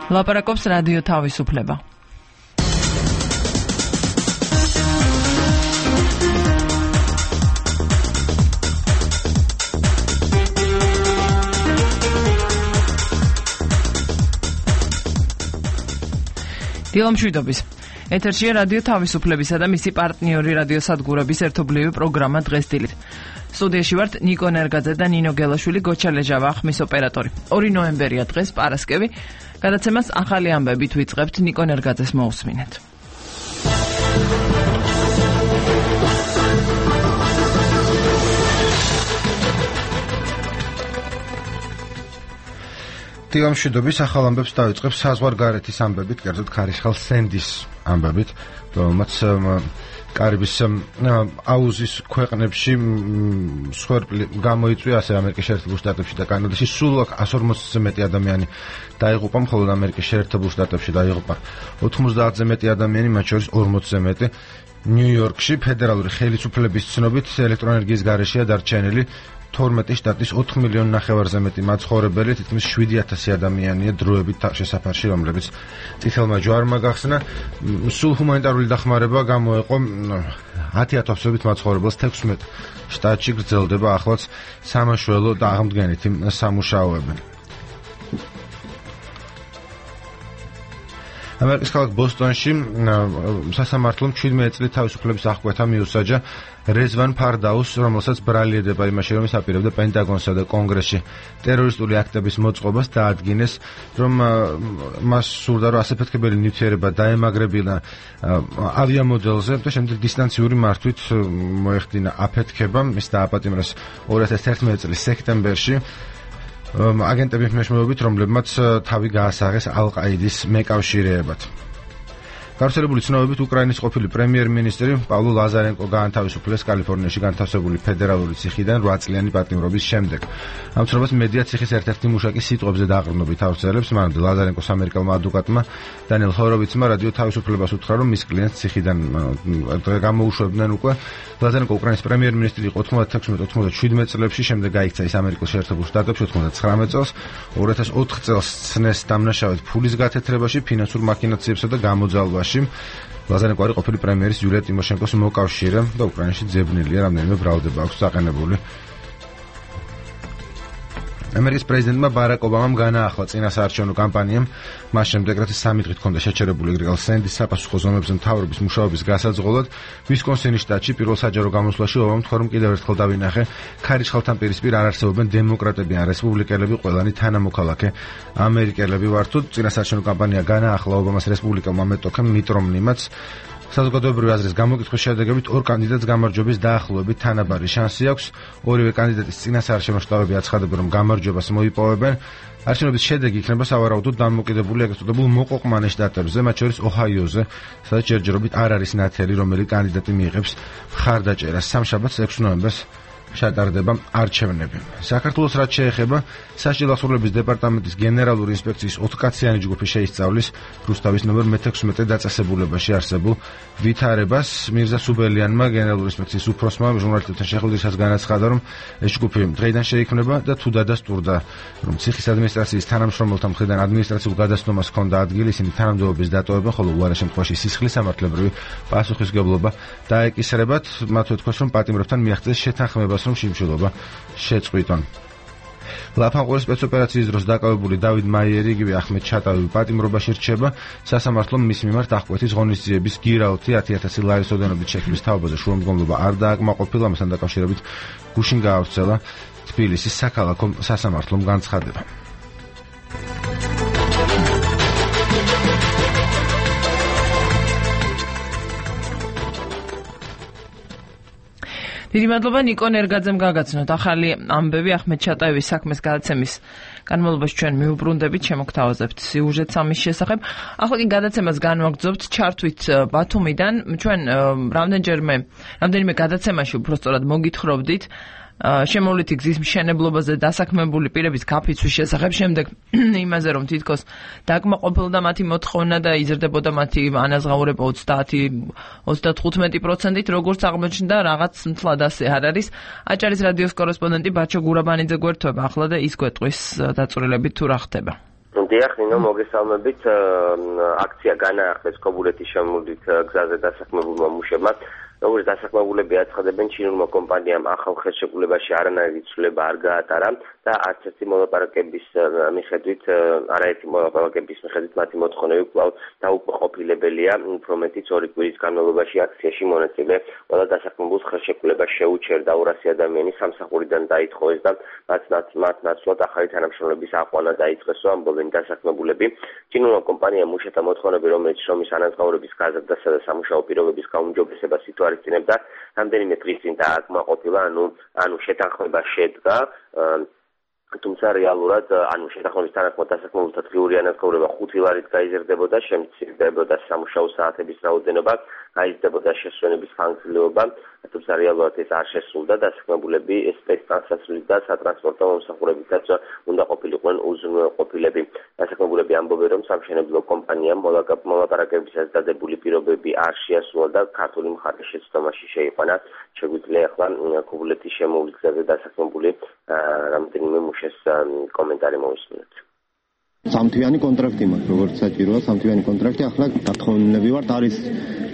ლაპარაკობს რადიო თავისუფლება. დილამშვიდობის. ეთერშია რადიო თავისუფლებისა და მისი პარტნიორი რადიო სადგურების ერთობლივი პროგრამა დღეს დილით. სტუდიაში ვართ ნიკო ნერგაძე და ნინო გელაშვილი, გოჩა ლეჟავა ხმის ოპერატორი. 2 ნოემბერია დღეს, პარასკევი. გადაცემას ახალი ამბებით ვიწყებთ, ნიკო ნერგაძეს მოусმინეთ. დილამშვიდობის ახალ ამბებს დავიწყებ საზღვარგარეთის ამბებით, კერძოდ ქარიშხალ სენდის ამბებით, რომელმაც კარიბის აუზის ქვეყნებში მსხვერპლი გამოიწვია, ასე ამერიკის შეერთებულ შტატებში და კანადაში სულ 140-ზე მეტი ადამიანი დაიღუპა, მხოლოდ ამერიკის შეერთებულ შტატებში დაიღუპა 90-ზე მეტი ადამიანი, მათ შორის 40-ზე მეტი. ნიუ-იორკში ფედერალური ხელისუფლების ცნობით ელექტროენერგიის გარეშეა დარჩენილი 12 შტატის 4,5 მილიონზე მეტი მაცხოვრებელი, თითქმის 7,000 ადამიანია დროებით შესაფარში, რომლებიც წითელმა ჯვარმა გახსნა. სულ ჰუმანიტარული დახმარება გამოეყო 10,000-ობით მაცხოვრებელს 16 შტატში, გრძელდება ახლაც სამაშველო და აღმდგენითი სამუშაოები. ამერიკის ქალაქ ბოსტონში სასამართლომ 17 წლის თავისუფლების აღკვეთა მიუსაჯა რეзвან ფარდაუს, რომელსაც ბრალი ედება იმაში, რომ ის აპირებდა პენტაგონსა და კონგრესში ტერორისტული აქტების მოწყობას, დაადგინეს, რომ მას სურდა, რომ ასაფეთქებელი ნივთიერება დაემაგრებინა ავიამოდელზე და შემდეგ დისტანციური მართვით მოეხდინა აფეთქება. ის დააპატიმრეს 2011 წლის სექტემბერში აგენტების მეშვეობით, რომლებმაც თავი გაასაღეს ალ-ყაიდის მეკავშირეებად. გავრცელებული ცნობებით უკრაინის ყოფილი პრემიერ-მინისტრი პავლო ლაზარენკო გაანთავისუფლეს კალიფორნიაში განთავსებული ფედერალური ციხიდან 8 წლიანი პატიმრობის შემდეგ. ამ ცნობას მედია ციხის ერთ-ერთი მუშაკის სიტყვებზე დაყრდნობით ავრცელებს. მანამდე ლაზარენკოს ამერიკელმა ადვოკატმა დანიელ ჰოროვიცმა რადიო თავისუფლებას უთხრა, რომ მის კლიენტს ციხიდან გამოუშვებდნენ უკვე. ლაზარენკო უკრაინის პრემიერ-მინისტრი იყო 96-97 წლებში, შემდეგ გაიქცა ის ამერიკის შეერთებულ შტატებში 99 წელს, 2004 წელს ცნეს დამნაშავედ ფულის გათეთრებაში, ფინანსურ მაქინაციებსა და გამოძალვაში. ლაზარენკო არის ყოფილი პრემიერის იულია ტიმოშენკოს მოკავშირე და უკრაინაში ძებნილია, რამდენიმე ბრალდება აქვს დაყენებული. ამერიკის პრეზიდენტმა ბარაკ ობამამ განაახლა წინასაარჩევნო კამპანიამ, მას შემდეგ რაც 3 დღით ჰქონდა შეჩერებული გრიგალ სენდის საპასუხო ზონებზე მთავრობის მუშაობის გასაძღოლად, ვისკონსინის შტატში პირველ საჯარო გამოსვლაში ობამამ თქვა, რომ კიდევ ერთხელ დავინახე, ქარიშხალთან პირისპირ არ არსებობენ დემოკრატები ან რესპუბლიკელები, ყველანი თანამოქალაქე ამერიკელები ვართ. წინასაარჩევნო კამპანია განაახლა ობამას რესპუბლიკელმა მეტოქემ მიტ რომნიმაც. საზოგადოებრივი აზრის გამოკითხვის შედეგებით 2 კანდიდატს გამარჯვების დაახლოებით თანაბარი შანსი აქვს. ორივე კანდიდატის წინასაარჩევნო შტაბები აცხადებენ, რომ გამარჯვებას მოიპოვებენ. არჩევნების შედეგი იქნება სავარაუდოდ დამოკიდებული ეგრეთ წოდებულ მოყოყმანე შტატებზე, მათ შორის ოჰაიოზე, სადაც ჯერჯერობით არ არის ნათელი, რომელი კანდიდატი მიიღებს მხარდაჭერას. სამშაბათს 6 ნოემბერს ჩატარდება არჩევნები. საქართველოს რაც შეეხება, სასჯელ ახსოვლების დეპარტამენტის გენერალური ინსპექციის 4-კაციანი ჯგუფი შეისწავლის რუსთავის ნომერ მე-16 დაწესებულებაში არსებულ ვითარებას. მირზა სუბელიანმა გენერალური ინსპექციის უფროსმა ჟურნალისტებთან შეხვედრისას განაცხადა, რომ ეს ჯგუფი დღეიდან შეიქმნება და თუ დადასტურდა, რომ ციხის ადმინისტრაციის თანამშრომელთა მხრიდან ადმინისტრაციულ გადასცემას ჰქონდა ადგილი, ისინი თანამდებობის დატოვებენ, ხოლო უარეს შემთხვევაში სისხლის სამართლებრივი პასუხისმგებლობა დაეკისრებათ. მათ უთქვეს, რომ პატიმრებთან მიაღწიეს შეთანხმებას, რომ შიმშილობა შეწყვიტონ. ლაფანყურის სპეცოპერაციის დროს დაკავებული დავით მაიერი, იგივე ახმედ ჩატავი პატიმრობაში რჩება. სასამართლომ მის მიმართ აღკვეთის ღონისძიების გირაოთი 10,000 ლარის ოდენობით შექმნის თაობაზე შუამდგომლობა არ დააკმაყოფილა, ამასთან დაკავშირებით გუშინ გაავრცელა თბილისის საქალაქო სასამართლომ განცხადება. დიდი მადლობა ნიკო ნერგაძემ გაგაცნოთ. ახალი ამბები ახმედ ჩატაევის საქმეს გადაცემის განმავლობაში ჩვენ მიუბრუნდებით, შემოგთავაზებთ სიუჟეტს ამის შესახებ. ახლა კი გადაცემას განვაგრძობთ ჩართვით ბათუმიდან. ჩვენ რამდენიმე გადაცემაში უბრალოდ მოგითხრობდით შემოვლითი გზის მშენებლობაზე დასაქმებული პირების გაფიცვის შესახებ, შემდეგ იმაზე, რომ თითქოს დაკმაყოფილდა მათი მოთხოვნა და იზრდებოდა მათი ანაზღაურება 30-35%-ით, როგორც აღმოჩნდა, რაღაც მთლად ასე არ არის. აჭარის რადიოს კორესპონდენტი ბაჩო გურაბანიძე გვერდთვება ახლა და ის გვეტყვის დაწვრილებით თუ რა ხდება. დიახ, ნინო, მოგესალმებით. აქცია განაახეს ქობულეთის შემოვლით გზაზე დასაქმებულმა მუშებმა. როგორც დასაქმებულები აცხადებენ, ჩინურმა კომპანიამ ახალ ხელშეკრულებაში არანაირი ცვლილება არ გაატარა და არც ერთი მოლაპარაკების მიხედვით მათი მოთხოვნები კვლავ დაუკმაყოფილებელია. უფრო მეტიც 2 კვირის განმავლობაში აქციაში მონაწილე ყველა დასაქმებულს ხელშეკრულება შეუჩერდა 200 ადამიანი სამსახურიდან დაითხოვეს და მათ ნაცვლად ახალი თანამშრომლების აყვანა დაიწყეს, ამბობენ დასაქმებულები. ჩინურმა კომპანიამ მუშათა მოთხოვნები, რომელიც შრომის ანაზღაურების გაზრდასა და სამუშაო პირობების გაუმჯობესებას ითვალისწინებდა, რამდენიმე დღის წინ დააკმაყოფილა, ანუ შეთანხმება შედგა. თუმცა რეალურად შეთანხმების თანახმად დასაქმებულთა დღიური ანაზღაურება 5 ლარით გაიზრდებოდა, შემცირდებოდა სამუშაო საათების რაოდენობა, გაიზრდებოდა შესვენების ხანგრძლივობა, თუმცა რეალურად ეს არ შესრულდა. დასაქმებულები სპეცტრანსპორტით და სატრანსპორტო მომსახურებითაც უნდა ყოფილიყვნენ უზრუნველყოფილები. დასაქმებულები ამბობენ, რომ სამშენებლო კომპანიამ მოლაპარაკებისას დადებული პირობები არ შეასრულა და ქართული მხარის შეცდომაში შეიყვანა. შეგვიძლია ახლა ქობულეთის შემოვლით გზაზე დასაქმებული რამდენიმე მუშეს კომენტარი მოვისმინოთ. სამთვიანი კონტრაქტი მაქვს, როგორც საჭიროა, სამთვიანი კონტრაქტი. ახლა გათხოვნილები ვართ, არის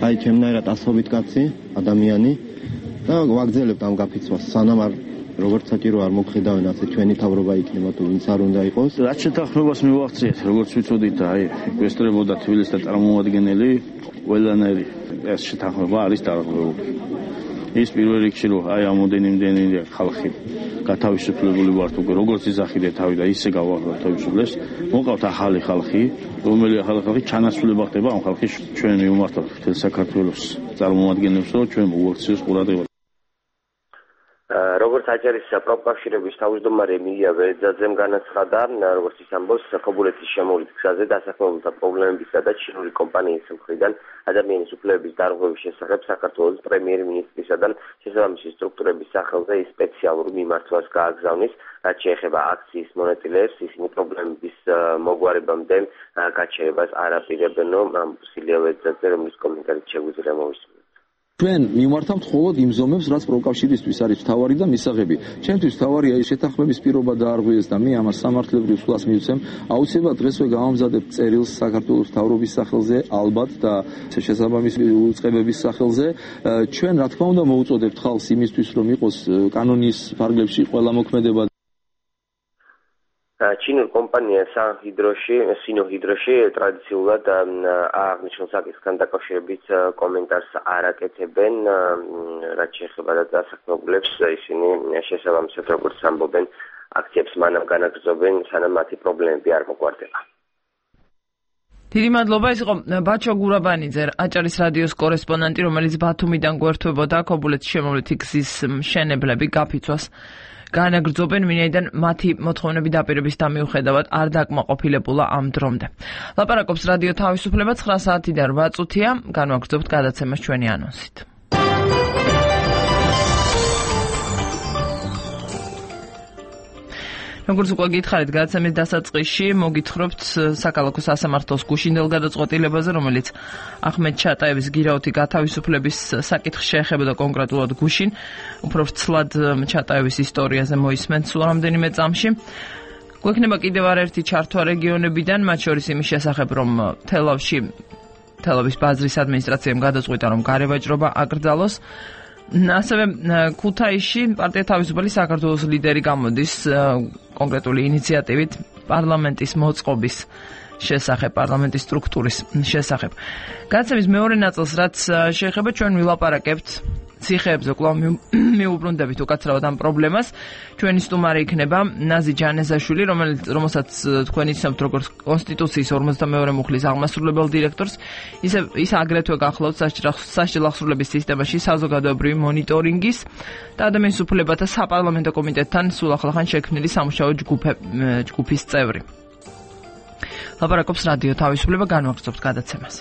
აი ჩემნაირად ასობით კაცი, ადამიანი და ვაგრძელებთ ამ გაფიცვას. სანამ არ როგორც საჭირო არ მოგხედავენ, ასე ჩვენი თავრობა იქნება თუ ვინც არ უნდა იყოს. რაც შეთანხმებას მივახციეთ, როგორც ვიცოდით, აი გვესწრებოდა თბილისის და წარმომადგენელი ყველანაირი ეს შეთანხმება არის დარღვეული. ის პირველ რიგში რომ აი ამოდენიმდენი ხალხი გათავისუფლებული ვართ უკვე როგორც იზახიდე თავი და ისე გავთავისუფლეს, მოყავთ ახალი ხალხი, რომელი ახალი ხალხი ჩანაცვლება ხდება ამ ხალხის ჩვენ მივმართოთ მთელ საქართველოს წარმომადგენლებს, რომ ჩვენ მოუაქციოს ყურადღება. როგორც აჭარის პროფკავშირების თავმჯდომარე მილია ვერძაძემ განაცხადა, როგორც ის ამბობს, ქობულეთის შემოვლით გზაზე დასაქმებულთა პრობლემებისა და ჩინური კომპანიის მხრიდან ადამიანის უფლებების დარღვევის შესახებ საქართველოს პრემიერ-მინისტრისა და შესაბამისი სტრუქტურების სახელზე სპეციალურ მიმართვას გააგზავნის, რაც შეეხება აქციის მონაწილეებს, ისინი პრობლემების მოგვარებამდე გაჩერებას არ აპირებენ, მილია ვერძაძე, რომლის კომენტარით შეგვიძლია მოვისმინოთ. ჩვენ მიმართავთ მხოლოდ იმ ზომებს, რაც პროფკავშირისთვის არის მთავარი და მისაღები. ჩემთვის მთავარია ის შეთანხმების პირობა დაარღვიეს და მე ამას სამართლებრივ სვლას მივცემ. აუცილებლად დღესვე გავამზადებთ წერილს საქართველოს მთავრობის სახელზე, ალბათ და შესაბამისი უწყებების სახელზე. ჩვენ რა თქმა უნდა მოუწოდებთ ხალხს იმისთვის, რომ იყოს კანონის ფარგლებში ყველა მოქმედება. ჩინურ კომპანია სინოჰიდროში ტრადიციულად აღნიშნულ საკითხთან დაკავშირებით კომენტარს არ აკეთებენ, რაც შეეხება დასაქმებულებს, ისინი შესაბამისად როგორც ამბობენ, აქციებს მანამ განაგრძობენ, სანამ მათი პრობლემები არ მოგვარდება. დიდი მადლობა, ეს იყო ბაჩო გურაბანიძე, აჭარის რადიოს კორესპონდენტი, რომელიც ბათუმიდან გვერდებოდა ქობულეთის შემოვლითი გზის მშენებლები გაფიცვას განაგრძობენ, ვინაიდან მათი მოთხოვნები დაპირების დამიუხედავად არ დაკმაყოფილებულა ამ დრომდე. ლაპარაკობს რადიო თავისუფლება 9 საათიდან 8 წუთია, განვაგრძობთ გადაცემას ჩვენი ანონსით. როგორც უკვე გითხარით, გადაცემის დასაწყისში მოგითხრობთ საქალაქო სასამართლოს გუშინდელ გადაწყვეტილებაზე, რომელიც ახმედ ჩატაევის გირაოთი გათავისუფლების საკითხს შეეხებოდა კონკრეტულად გუშინ. უფრო ვრცლად ჩატაევის ისტორიაზე მოისმენთ სულ რამდენიმე წამში. გვექნება კიდევ არაერთი ჩართვა რეგიონებიდან, მათ შორის იმის შესახებ, რომ თელავის ბაზრის ადმინისტრაციამ გადაწყვიტა, რომ გარევაჭრობა აკრძალოს. ასევე ქუთაისში პარტია თავისუფალი საქართველოს ლიდერი გამოდის კონკრეტული ინიციატივით პარლამენტის მოწყობის შესახებ, პარლამენტის სტრუქტურის შესახებ. გადაცემის მეორე ნაწილს, რაც შეეხება, ჩვენ ვილაპარაკებთ ციხეებზე, კვლავ მიუბრუნდებით უკაცრავად ამ პრობლემას. ჩვენი სტუმარი იქნება ნაზი ჯანეზაშვილი, რომელსაც თქვენ იცნობთ როგორც კონსტიტუციის 52 მუხლის აღმასრულებელ დირექტორს, ის აგრეთვე გახლავთ სასჯელ აღსრულების სისტემაში საზოგადოებრივი მონიტორინგის და ადამიანის უფლებათა საპარლამენტო კომიტეტთან სულ ახლახან შექმნილი სამუშაო ჯგუფის წევრი. ლაპარაკობს რადიო თავისუფლება, განვაგრძობთ გადაცემას.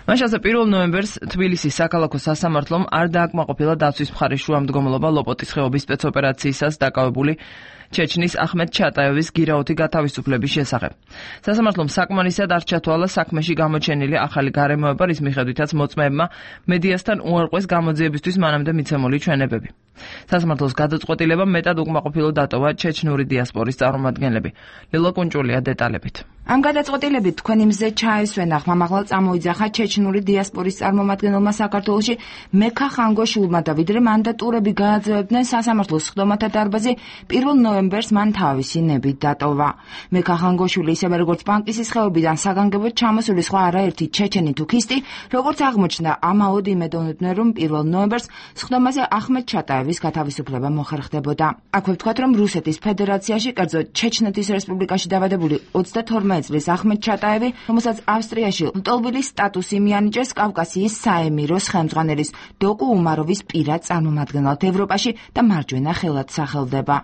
მაშ ასე 1 ნოემბერს თბილისის საქალაქო სასამართლომ არ დააკმაყოფილა დაცვის მხარის შუამდგომლობა ლოპოტის ხეობის სპეცოპერაციისას დაკავებული ჩეჩნის ახმედ ჩატაევის გირაოთი გათავისუფლების შესახებ. სასამართლომ საკმარისად არ ჩათვალა საქმეში გამოჩენილი ახალი გარემოება, რის მიხედვითაც მოწმეებმა მედიასთან უარყვეს გამოძიებისთვის მანამდე მიცემული ჩვენებები. სასამართლოს გადაწყვეტილებამ მეტად უკმაყოფილო დატოვა ჩეჩნური დიასპორის წარმომადგენლები. ლელა კუნჭულია დეტალებით. ამ გადაწყვეტილებით თქვენი მზე ჩაესვენა ხმამაღლა წამოიძახა ჩეჩნური დიასპორის წარმომადგენელმა საქართველოში მექა ხანგოშულმა და ვიდრე მანდატურები გააძევებდნენ სასამართლოს სხდომათა დარბაზი 1 ნოემბერს მან თავისი ნებით დატოვა. მექა ხანგოშული ისევე როგორც ბანკისის ხეობიდან საგანგებოდ ჩამოსული სხვა არაერთი ჩეჩენი თუქისტი, როგორც აღმოჩნდა, ამაოდ იმედოვნდნენ, რომ 1 ნოემბერს სხდომაზე ახმედ ჩატაევის გათავისუფლება მოხერხდებოდა. აქვე ვთქვათ, რომ რუსეთის ფედერაციაში, კერძოდ ჩეჩნეთის რესპუბლიკაში დაბადებული 32 წლის ახმედ ჩატაევი, რომელსაც ავსტრიაში ლტოლვილის სტატუსი მიანიჭეს კავკასიის საემიროს ხელმძღვანელის დოკუ უმაროვის პირად წარმომადგენლად ევროპაში და მარჯვენა ხელად სახელდება.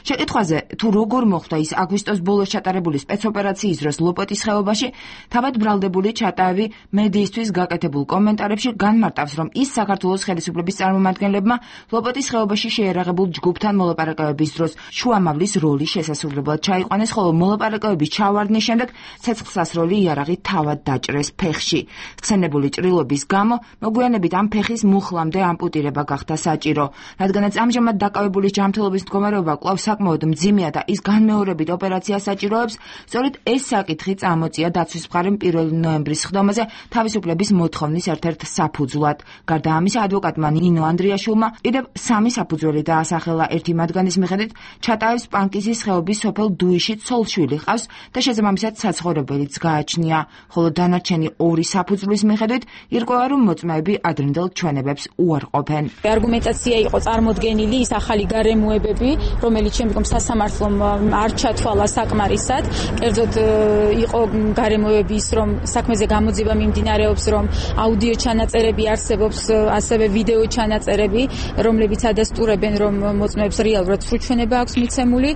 შეკითხვაზე თუ როგორ მოხდა ის აგვისტოს ბოლოს ჩატარებული სპეცოპერაციის დროს ლოპოტის ხეობაში, თავად ბრალდებული ჩატაევი მედიისთვის გაკეთებულ კომენტარებში განმარტავს, რომ ის საქართველოს ხელისუფლების წარმომადგენლებმა ლოპოტის ხეობაში შეერაღებულ ჯგუფთან მოლაპარაკებების დროს შუამავლის როლი შესასრულებლად ჩაიყვანეს, ხოლო მოლაპარაკებების ჩავარდნის შემდეგ ცეცხლსასროლი იარაღი თავად დაჭრეს ფეხში. ხსენებული ჭრილობის გამო მოგვიანებით ამ ფეხის მუხლამდე ამპუტირება გახდა საჭირო, რადგანაც ამჟამად დაკავებულის ჯანმრთელობის მდგომარეობა საკმაოდ მძიმეა და ის განმეორებით ოპერაციას საჭიროებს, სწორედ ეს საკითხი წამოწია დაცვის მხარემ 1 ნოემბრის სხდომაზე თავისუფლების მოთხოვნის ერთ-ერთ საფუძვლად. გარდა ამისა, ადვოკატმა ნინო ანდრიაშვილმა კიდევ 3 საფუძველი დაასახელა. ერთი მათგანის მიხედვით ჩატაევს პანკისის ხეობის სოფელ დუიში ცოლ-შვილი ჰყავს და შესაბამისად საცხოვრებელიც გააჩნია, ხოლო დანარჩენი 2 საფუძვლის მიხედვით ირკვევა, რომ მოწმეები ადრინდელ ჩვენებებს უარყოფენ. არგუმენტაცია იყო წარმოდგენილი ის ახალი გარემოებები, რომელიც შემდგომ სასამართლომ არ ჩათვალა საკმარისად. კერძოდ იყო გარემოებების, რომ საქმეზე გამოძიება მიმდინარეობს, რომ აუდიო ჩანაწერები არსებობს, ასევე ვიდეო ჩანაწერები, რომლებიც ადასტურებენ, რომ მოწმეებს რეალურად სრულჩვენება აქვს მიცემული.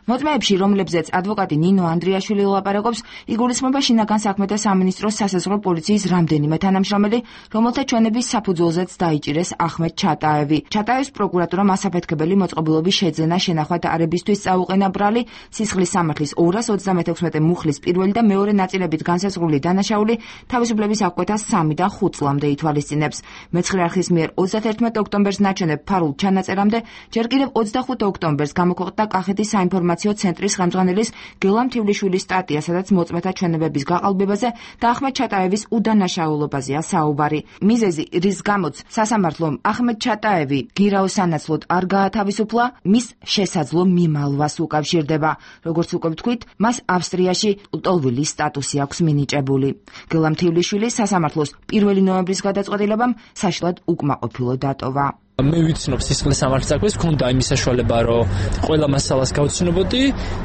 მოწმეებში, რომლებზეც ადვოკატი ნინო ანდრიაშვილი ლაპარაკობს, იგულისხმება შინაგან საქმეთა სამინისტროს სასაზღვრო პოლიციის რამდენიმე თანამშრომელი, რომელთა ჩვენების საფუძველზეც დაიჭირეს ახმედ ჩატაევი. ჩატაევის პროკურატურამ ასაფეთქებელი მოწყობილობის შეძენა შენახვა არებისთვის წაუყენა ბრალი, სისხლის სამართლის 236 მუხლის პირველი და მეორე ნაწილებით განსაზღვრული დანაშაული თავისუფლების აღკვეთას 3-დან 5 წლამდე ითვალისწინებს. მეცხრე არხის მიერ 31 ოქტომბერს ნაჩვენებ ფარულ ჩანაწერამდე, ჯერ კიდევ 25 ოქტომბერს გამოქვეყნდა კახეთის საინფორმაციო ცენტრის ხელმძღვანელის გელამ თივლიშვილის სტატია, სადაც მოწმეთა ჩვენებების გაყალბებაზე და ახმედ ჩატაევის უდანაშაულობაზეა საუბარი. მიზეზი, რის გამოც სასამართლომ ახმედ ჩატაევი გირაოს სანაცვლოდ არ გაათავისუფლა, მის შესაძლო მიმალვას უკავშირდება. როგორც უკვე ვთქვით, მას ავსტრიაში ლტოლვილის სტატუსი აქვს მინიჭებული. გელამ თივლიშვილი სასამართლოს 1 ნოემბრის გადაწყვეტილებამ საშლად უკმაყოფილო დატოვა. მე ვიცნობ სისხლის სამართლის საქმეს, მქონდა იმის საშუალება, რომ ყველა მასალას გავცნობოდი.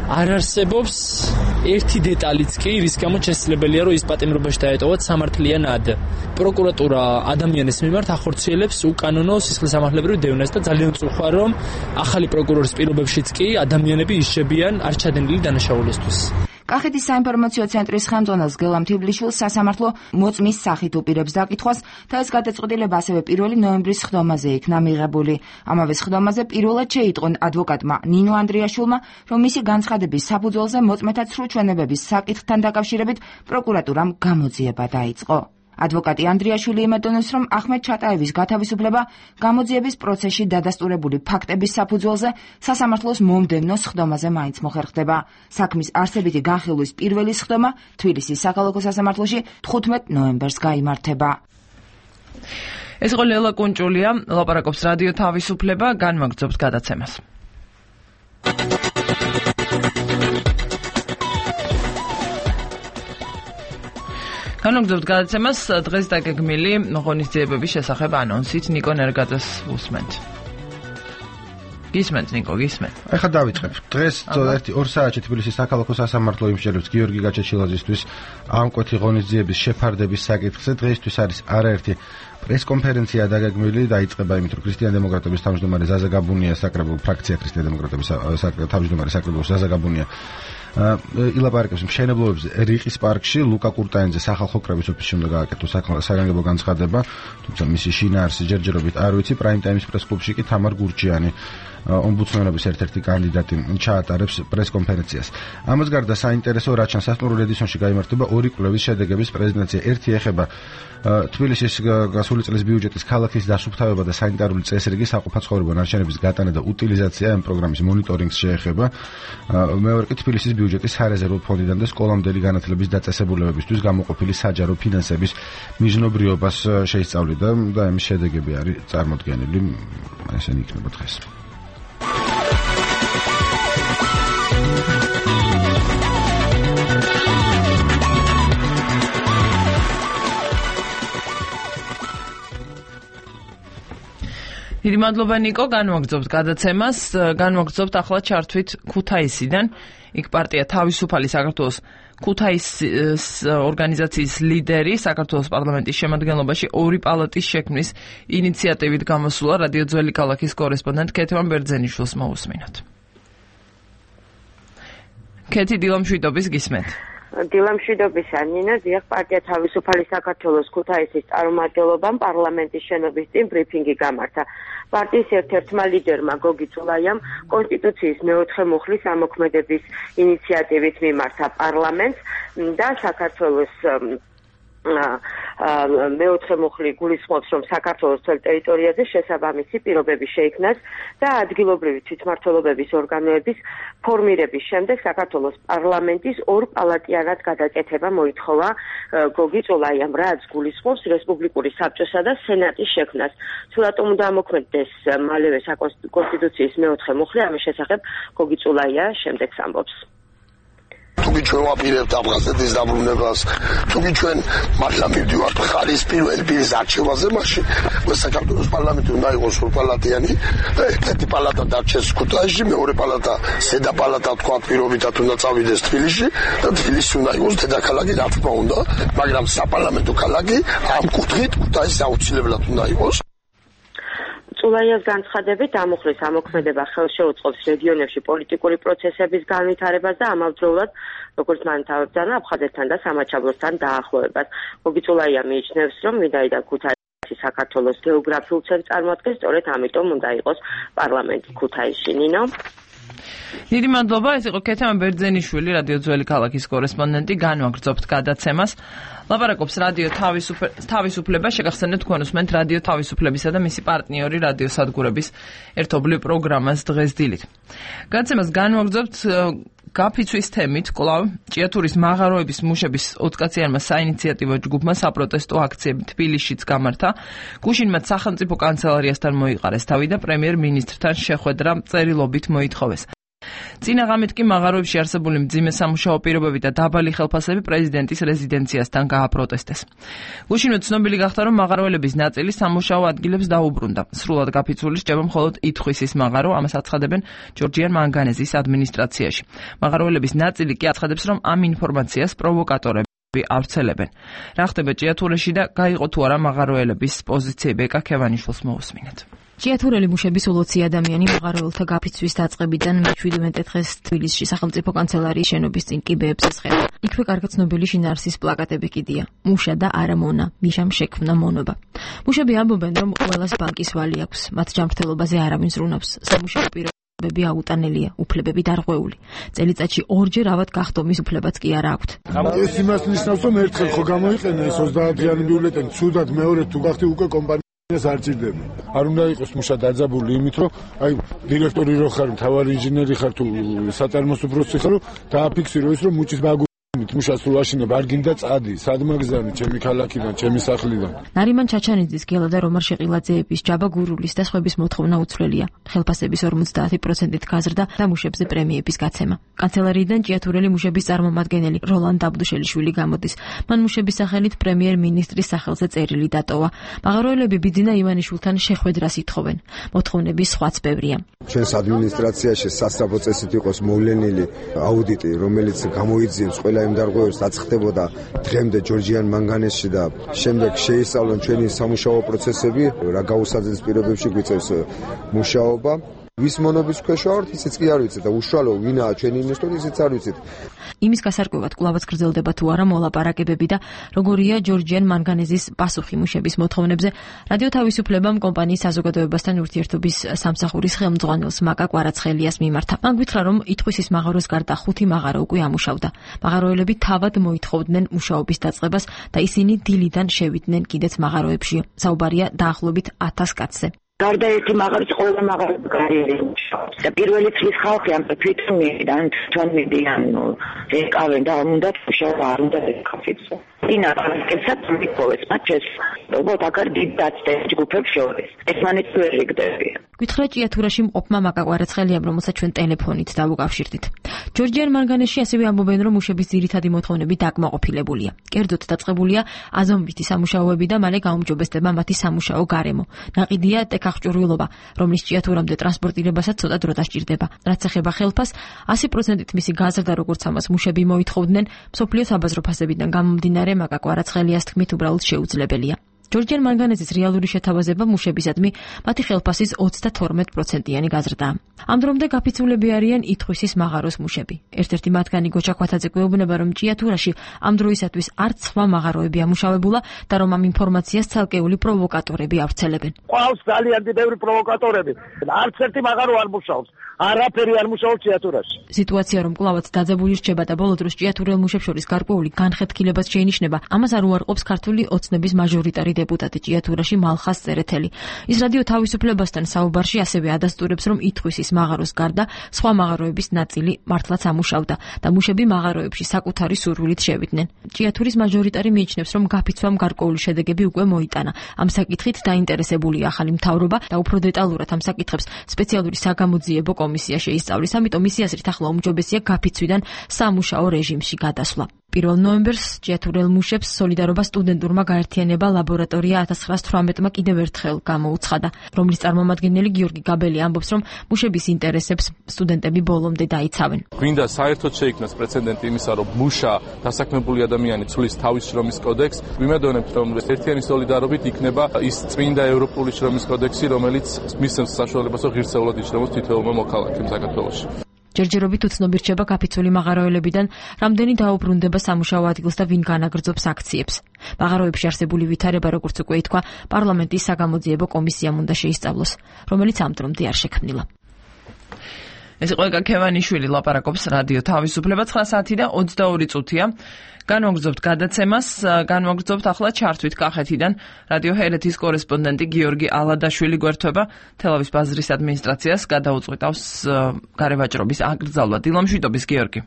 არ არსებობს ერთი დეტალიც კი, რის გამოც შესაძლებელია, რომ ის პატიმრობაში დაეტოვოთ სამართლიანად. პროკურატურა ადამიანის მიმართ ახორციელებს უკანონო სისხლისამართლებრივ დევნას და ძალიან ვწუხარ, რომ ახალი პროკურორის პირობებშიც კი ადამიანები ისჩებიან არ ჩადენილი დანაშაულისთვის. კახეთის საინფორმაციო ცენტრის ხელმძღვანელს გელამ თივლიშვილს სასამართლო მოწმის სახით უპირებს დაკითხვას და ეს გადაწყვეტილება ასევე 1 ნოემბრის სხდომაზე იქნა მიღებული. ამავე სხდომაზე პირველად შეიტყონ ადვოკატმა ნინო ანდრიაშვილმა, რომ მისი განცხადების საფუძველზე მოწმეთა სრულჩვენებების საკითხთან დაკავშირებით პროკურატურამ გამოძიება დაიწყო. ადვოკატი ანდრიაშვილი იმედოვნებს, რომ ახმედ ჩატაევის გათავისუფლება გამოძიების პროცესში დადასტურებული ფაქტების საფუძველზე სასამართლოს მომდევნო სხდომაზე მაინც მოხერხდება. საქმის არსებითი განხილვის პირველი სხდომა თბილისის საქალაქო სასამართლოში 15 ნოემბერს გაიმართება. ეს იყო ლელა კუნჭულია, ლაპარაკობს რადიო თავისუფლება, განმაგრძობს გადაცემას. განმაგრძობთ გადაცემას დღეს დაგეგმილი ღონისძიებების შესახებ ანონსით ნიკო ნერგაძეს უსმენთ. გისმენთ ნიკო, გისმენთ. ახლა დავიწყებ. დღეს 2 საათში თბილისის საქალაქო სასამართლო იმსჯელებს გიორგი გაჩეჩილაძისთვის ამკვეთი ღონისძიების შეფარდების საკითხზე. დღეისთვის არის არაერთი პრესკონფერენცია დაგეგმილი დაიწყება იმით, რომ ქრისტიან დემოკრატების თავმჯდომარე ზაზა გაბუნია საკრებულო ფრაქცია ქრისტიან დემოკრატების თავმჯდომარე საკრებულო ზაზა გაბუნია ილაპარაკებს მშენებლობებზე რიყის პარკში ლუკა კურტაინძე სახალხო კრების ოფისში უნდა გააკეთოს საგანგებო განცხადება, თუმცა მისი შინაარსი ჯერჯერობით არ ვიცი. პრაიმ ტაიმის პრესკლუბში კი თამარ გურჯიანი ომბუდსმენობის ერთ-ერთი კანდიდატი ჩაატარებს პრესკონფერენციას. ამას გარდა საინტერესო რაჩან სასტუმრო ედისონში გაიმართება ორი კვლევის შედეგების პრეზენტაცია. ერთი ეხება თბილისის გასული წლის ბიუჯეტის ქალაქის დასუფთავება და სანიტარული წესრიგი საყოფაცხოვრებო ნარჩენების გატანა და უტილიზაცია ამ პროგრამის მონიტორინგს შეეხება. მეორე კი თბილისის ბიუჯეტის სარეზერვო ფონდიდან და სკოლამდელი განათლების დაწესებულებებისთვის გამოყოფილი საჯარო ფინანსების მიზნობრიობას შეისწავლიდა და ამის შედეგები არის წარმოდგენილი. ესენი იქნება დღეს. დიდი მადლობა ნიკო, განვაგრძობთ გადაცემას, განვაგრძობთ ახლა ჩართვით ქუთაისიდან. იქ პარტია თავისუფალი საქართველოს ქუთაისის ორგანიზაციის ლიდერი საქართველოს პარლამენტის შემადგენლობაში ორი პალატის შექმნის ინიციატივით გამოსულა. რადიო ძველი ქალაქის კორესპონდენტ ქეთევან ბერძენიშვილს მოусმინოთ. ქეთი, დილამშვიდობის გისმენთ. დილამშვიდობისა ნინო, დიახ, პარტია თავისუფალი საქართველოს ქუთაისის წარმომადგენლობამ პარლამენტის შენობის წინ ბრიფინგი გამართა. პარტიის ერთ-ერთმა ლიდერმა გოგი წულაიამ კონსტიტუციის მეოთხე მუხლის ამოქმედების ინიციატივით მიმართა პარლამენტს და საქართველოს მეოთხე მუხლი გულისხმობს, რომ საქართველოს თელ ტერიტორიაზე შესაბამისი პირობები შეიქმნას და ადგილობრივი თვითმმართველობების ორგანოების ფორმირების შემდეგ საქართველოს პარლამენტის ორპალატიანად გადაკეთება მოითხოვა გოგი წულაიამ, რაც გულისხმობს რესპუბლიკური საბჭოსა და სენატის შექმნას. თუ რატომ უნდა ამოქმედდეს მალევე კონსტიტუციის მეოთხე მუხლი, ამის შესახებ გოგი წულაია შემდეგს ამბობს. თუკი ჩვენ ვაპირებთ აფხაზეთის დაბრუნებას, თუკი ჩვენ მართლა მივდივართ მხარის პირველი პირის არჩევაზე, მაშინ საქართველოს პარლამენტი უნდა იყოს ორპალატიანი და ერთ-ერთი პალატა დარჩეს ქუთაისში, მეორე პალატა ზედა პალატა თქვა პირობითად უნდა წავიდეს თბილისში და თბილისი უნდა იყოს დედაქალაქი, რა თქმა უნდა, მაგრამ საპარლამენტო ქალაქი ამ კუთხით ქუთაისი აუცილებლად უნდა იყოს. წულაიას განცხადებით ამუხლის ამოქმედება ხელშეუწყობს რეგიონებში პოლიტიკური პროცესების განვითარებას და ამავდროულად როგორც მან თავებრძანა აფხაზეთთან და სამაჩაბლოსთან დაახლოებას. გოგი წულაია მიიჩნევს, რომ ვინაიდან ქუთაისი საქართველოს გეოგრაფიულ ცენტრს წარმოადგენს, სწორედ ამიტომ უნდა იყოს პარლამენტი ქუთაისში. ნინო. დიდი მადლობა, ეს იყო ქეთევან ბერძენიშვილი, რადიო ძველი ქალაქის კორესპონდენტი, განვაგრძობთ გადაცემას. ლაპარაკობს რადიო თავისუფლება, შეგახსენებთ თქვენ უსმენთ რადიო თავისუფლებისა და მისი პარტნიორი რადიო სადგურების ერთობლივ პროგრამას დღეს დილით. გადაცემას განვაგრძობთ გაფიცვის თემით, კვლავ ჭიათურის მაღაროების მუშების 20 კაციანმა საინიციატივო ჯგუფმა საპროტესტო აქციები თბილისშიც გამართა. გუშინ მათ სახელმწიფო კანცელარიასთან მოიყარეს თავი და პრემიერ-მინისტრთან შეხვედრა წერილობით მოითხოვეს. წინა ღამით კი მაღაროებში არსებული მძიმე სამუშაო პირობები და დაბალი ხელფასები პრეზიდენტის რეზიდენციასთან გააპროტესტეს. გუშინვე ცნობილი გახდა, რომ მაღაროელების ნაწილი სამუშაო ადგილებს დაუბრუნდა. სრულად გაფიცული რჩება მხოლოდ ითხვისის მაღარო, ამას აცხადებენ ჯორჯიან მანგანეზის ადმინისტრაციაში. მაღაროელების ნაწილი კი აცხადებს, რომ ამ ინფორმაციას პროვოკატორები ავრცელებენ. რა ხდება ჭიათურაში და გაიყო თუ არა მაღაროელების პოზიციები, ეკა ქევანიშვილს მოусმინეთ. ჭიათურელი მუშების 20 ადამიანი მაღაროელთა გაფიცვის დაწყებიდან მე-17 დღეს თბილისში სახელმწიფო კანცელარიის შენობის წინ კიბეებს ესხება. იქვე კარგად ცნობილი შინაარსის პლაკატები კიდია. მუშა და არა მონა, მიშამ შექმნა მონობა. მუშები ამბობენ, რომ ყველას ბანკის ვალი აქვს, მათ ჯანმრთელობაზე არავინ ზრუნავს. სამუშაო პირობები აუტანელია, უფლებები დარღვეული. წელიწადში ორჯერ ავად გახდომის უფლებაც კი არა აქვთ. ეს იმას ნიშნავს, რომ ერთხელ ხო გამოიყენა ეს 30-იანი ბიულეტენი, ცუდად მეორე თუ გახდი უკვე კომპანია ეს არ ჭირდება. არ უნდა იყოს მუშა დაძაბული იმით, რომ აი დირექტორი რო ხარ, მთავარი ინჟინერი ხარ თუ საწარმოს უფროსი ხარ, დააფიქსირო ის, რომ მუჭის ბაგურით მუშას თუ ვაშინებ, არ გინდა წადი, სადმაგზავნი, ჩემი ქალაქიდან, ჩემი სახლიდან. ნარიმან ჩაჩანიძის, გელა და რომარ შეყილაძეების, ჯაბა გურულის და სხვების მოთხოვნა უცვლელია. ხელფასების 50%-ით გაზრდა და მუშებზე პრემიების გაცემა. კანცელარიიდან ჭიათურელი მუშების წარმომადგენელი როლან დაბდუშელიშვილი გამოდის. მან მუშების სახელით პრემიერ-მინისტრის სახელზე წერილი დატოვა. მაღაროელები ბიძინა ივანიშვილთან შეხვედრას ითხოვენ. მოთხოვნების სხვაც ბევრია. ჩვენს ადმინისტრაციაში სასწრაფო წესით იყოს მოვლენილი აუდიტი, რომელიც გამოიძიებს ყველა ყველა იმ დარღვევებს აცხდებოდა დღემდე ჯორჯიან მანგანესში და შემდეგ შეისწავლონ ჩვენი სამუშაო პროცესები, რა გაუსაძეს პირობებში გვიწევს მუშაობა. ვის მონობის ქვეშ ვართ, ისიც კი არ ვიცით და უშუალო ვინაა ჩვენი ინვესტორი, ისიც არ ვიცით. იმის გასარკვევად კვლავაც გრძელდება თუ არა მოლაპარაკებები და როგორია ჯორჯიან მანგანეზის პასუხი მუშების მოთხოვნებზე. რადიო თავისუფლებამ კომპანიის საზოგადოებასთან ურთიერთობის სამსახურის ხელმძღვანელს მაკა კვარაცხელიას მიმართა. მან გითხრა, რომ ითხვისის მაღაროს გარდა 5 მაღარო უკვე ამუშავდა. მაღაროელები თავად მოითხოვდნენ მუშაობის დაწყებას და ისინი დილიდან შევიდნენ კიდეც მაღაროებში. საუბარია დაახლოებით 1000 კაცზე. გარდა ერთი მაღარის ყველა მაღაროს კარიერი მუშაობს და პირველი წლის ხალხი ამ თვითონ მიდიან ეკავენ და უნდა მუშაობა არ უნდა ეკავიძო ინა პარკებსაც მიქოვეს მათ შესაძლებლად აკარ დიდ დაცდებს ჯგუფებს შორის ეს მანიც ვერ იგდებია. გითხრა ჭიათურაში მყოფმა მაკა კვარაცხელიამ, რომელსაც ჩვენ ტელეფონით დავუკავშირდით. ჯორჯიან მანგანესში ასევე ამბობენ, რომ მუშების ძირითადი მოთხოვნები დაკმაყოფილებულია. კერძოდ დაწყებულია აზომვითი სამუშაოები და მალე გაუმჯობესდება მათი სამუშაო გარემო. ნაყიდია ტექაღჭურვილობა, რომლის ჭიათურამდე ტრანსპორტირებასაც ცოტა დრო დასჭირდება. რაც ეხება ხელფას, 100%-ით მისი გაზრდა, როგორც ამას მუშები მოითხოვდნენ, მსოფლიო საბაზრო ფასებიდან გამომდინარე მაკა კვარაცხელიას თქმით, უბრალოდ შეუძლებელია. ჯორჯიან მანგანეზის რეალური შეთავაზება მუშებისადმი მათი ხელფასის 32%-იანი გაზრდაა. ამ დრომდე გაფიცულები არიან ითხვისის მაღაროს მუშები. ერთ-ერთი მათგანი გოჩა ხვათაძე გვეუბნება, რომ ჭიათურაში ამ დროისათვის არც სხვა მაღაროები ამუშავებულა და რომ ამ ინფორმაციას ცალკეული პროვოკატორები ავრცელებენ. ყავს ძალიან ბევრი პროვოკატორები. არც ერთი მაღარო არ მუშაობს. არაფერი არ მუშაობს ჭიათურაში. სიტუაცია რომ კვლავაც დაძაბული რჩება და ბოლო დროს ჭიათურელ მუშებს შორის გარკვეული განხეთქილებას შეინიშნება, ამას არ უარყოფს ქართული ოცნების მაჟორიტარი დეპუტატი ჭიათურაში მალხას წერეთელი. ის რადიო თავისუფლებასთან საუბარში ასევე ადასტურებს, რომ ითხვისის მაღაროს გარდა სხვა მაღაროების ნაწილი მართლაც ამუშავდა და მუშები მაღაროებში საკუთარი სურვილით შევიდნენ. ჭიათურის მაჟორიტარი მიიჩნევს, რომ გაფიცვამ გარკვეული შედეგები უკვე მოიტანა. ამ საკითხით დაინტერესებულია ახალი მთავრობა და უფრო დეტალურად ამ საკითხებს სპეციალური საგამოძიებო კომისია შეისწავლის, ამიტომ მისი აზრით ახლა უმჯობესია გაფიცვიდან სამუშაო რეჟიმში გადასვლა. 1 ნოემბერს ჭიათურელ მუშებს სოლიდარობა სტუდენტურმა გაერთიანება ლაბორატორია 1918-მა კიდევ ერთხელ გამოუცხადა, რომლის წარმომადგენელი გიორგი გაბელი ამბობს, რომ მუშების ინტერესებს სტუდენტები ბოლომდე დაიცავენ. გვინდა საერთოდ შეიქმნას პრეცედენტი იმისა, რომ მუშა დასაქმებული ადამიანი ცვლის თავის შრომის კოდექსს. ვიმედოვნებთ, რომ ერთიანი სოლიდარობით იქნება ის წმინდა ევროპული შრომის კოდექსი, რომელიც მისცემს საშუალებას, რომ ღირსეულად იშრომოს თითოეულმა მოქალაქემ საქართველოში. ჯერჯერობით უცნობი რჩება გაფიცული მაღაროელებიდან, რამდენი დაუბრუნდება სამუშაო ადგილს და ვინ განაგრძობს აქციებს. მაღაროებში არსებული ვითარება, როგორც უკვე ითქვა, პარლამენტის საგამოძიებო კომისიამ უნდა შეისწავლოს, რომელიც ამ დრომდე არ შექმნილა. ეს იყო ეკა ქევანიშვილი ლაპარაკობს რადიო თავისუფლება 9 საათი და 22 წუთია. განვაგრძობთ გადაცემას, განვაგრძობთ ახლა ჩართვით კახეთიდან. რადიო ჰერეთის კორესპონდენტი გიორგი ალადაშვილი გვერდება თელავის ბაზრის ადმინისტრაციას გადაუწყვეტავს გარევაჭრობის აკრძალვა. დილამშვიდობის გიორგი.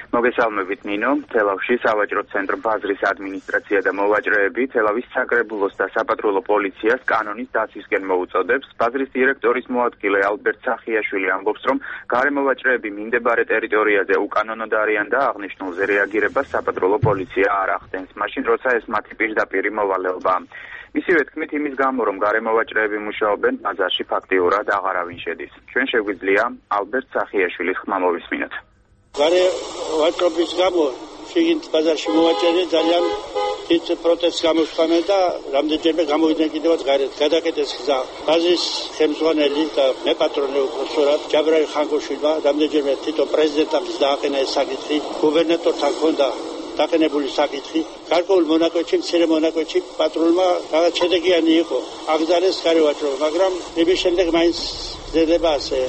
მოგესალმებით ნინო. თელავში სავაჭრო ცენტრ ბაზრის ადმინისტრაცია და მოვაჭრეები თელავის საგრებულოს და საპატრულო პოლიციას კანონის დაცვისკენ მოუწოდებს. ბაზრის დირექტორის მოადგილე ალბერტ სახიაშვილი ამბობს, რომ გარემოვაჭრეები მინდებარე ტერიტორიაზე უკანონოდ არიან და აღნიშნულზე რეაგირებას საპატრულო პოლიცია არ ახდენს, მაშინ როცა ეს მათი პირდაპირი მოვალეობაა. მისივე თქმით, იმის გამო, რომ გარემოვაჭრეები მუშაობენ ბაზარში ფაქტიურად აღარავინ შედის. ჩვენ შეგვიძლია ალბერტ სახიაშვილის ხმა მოვისმინოთ. გარევაჭრობის გამო შიგნით ბაზარში მოვაჭრე ძალიან დიდ პროტესტს გამოსხამენ და რამდენჯერმე გამოვიდნენ კიდევაც გარეთ. გადაკეთეს გზა. ბაზრის ხელმძღვანელი და მე პატრონი უხსოვარ ჯაბრაილ ხანგოშვილმა რამდენჯერმე თვითონ პრეზიდენტთან დააყენა ეს საკითხი. გუბერნატორთან ჰქონდა დაყენებული საკითხი. გარკვეულ მონაკვეთში, მცირე მონაკვეთში პატრონმა რაღაც შედეგიანი იყო. აგზარეს გარევაჭრობა, მაგრამ იმის შემდეგ მაინც ზედება ასე.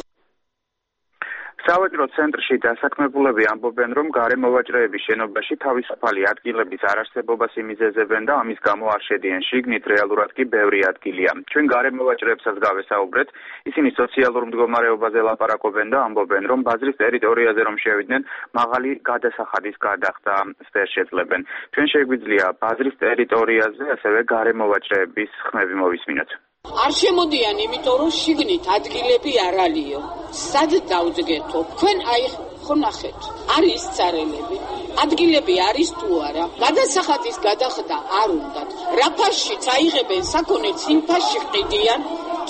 სავაჭრო ცენტრში დასაქმებულები ამბობენ, რომ გარემოვაჭრეების შენობაში თავისუფალი ადგილების არარსებობას იმიზეზებენ და ამის გამო არ შედიან შიგნით, რეალურად კი ბევრი ადგილია. ჩვენ გარემოვაჭრეებსაც გავესაუბრეთ, ისინი სოციალურ მდგომარეობაზე ლაპარაკობენ და ამბობენ, რომ ბაზრის ტერიტორიაზე რომ შევიდნენ, მაღალი გადასახადის გადახდა ვერ შეძლებენ. ჩვენ შეგვიძლია ბაზრის ტერიტორიაზე ასევე გარემოვაჭრეების ხმები მოვისმინოთ. არ შემოდიან, იმიტომ რომ შიგნით ადგილები არ ალიო. სად დავძგეთო? თქვენ აი ხონახეთ. არის царელები. ადგილები არის თუ არა? გადასახადის გადახდა არ უნდათ. რა ფასშიც აიღებენ საქონელს, იმ ფასში ყიდიან.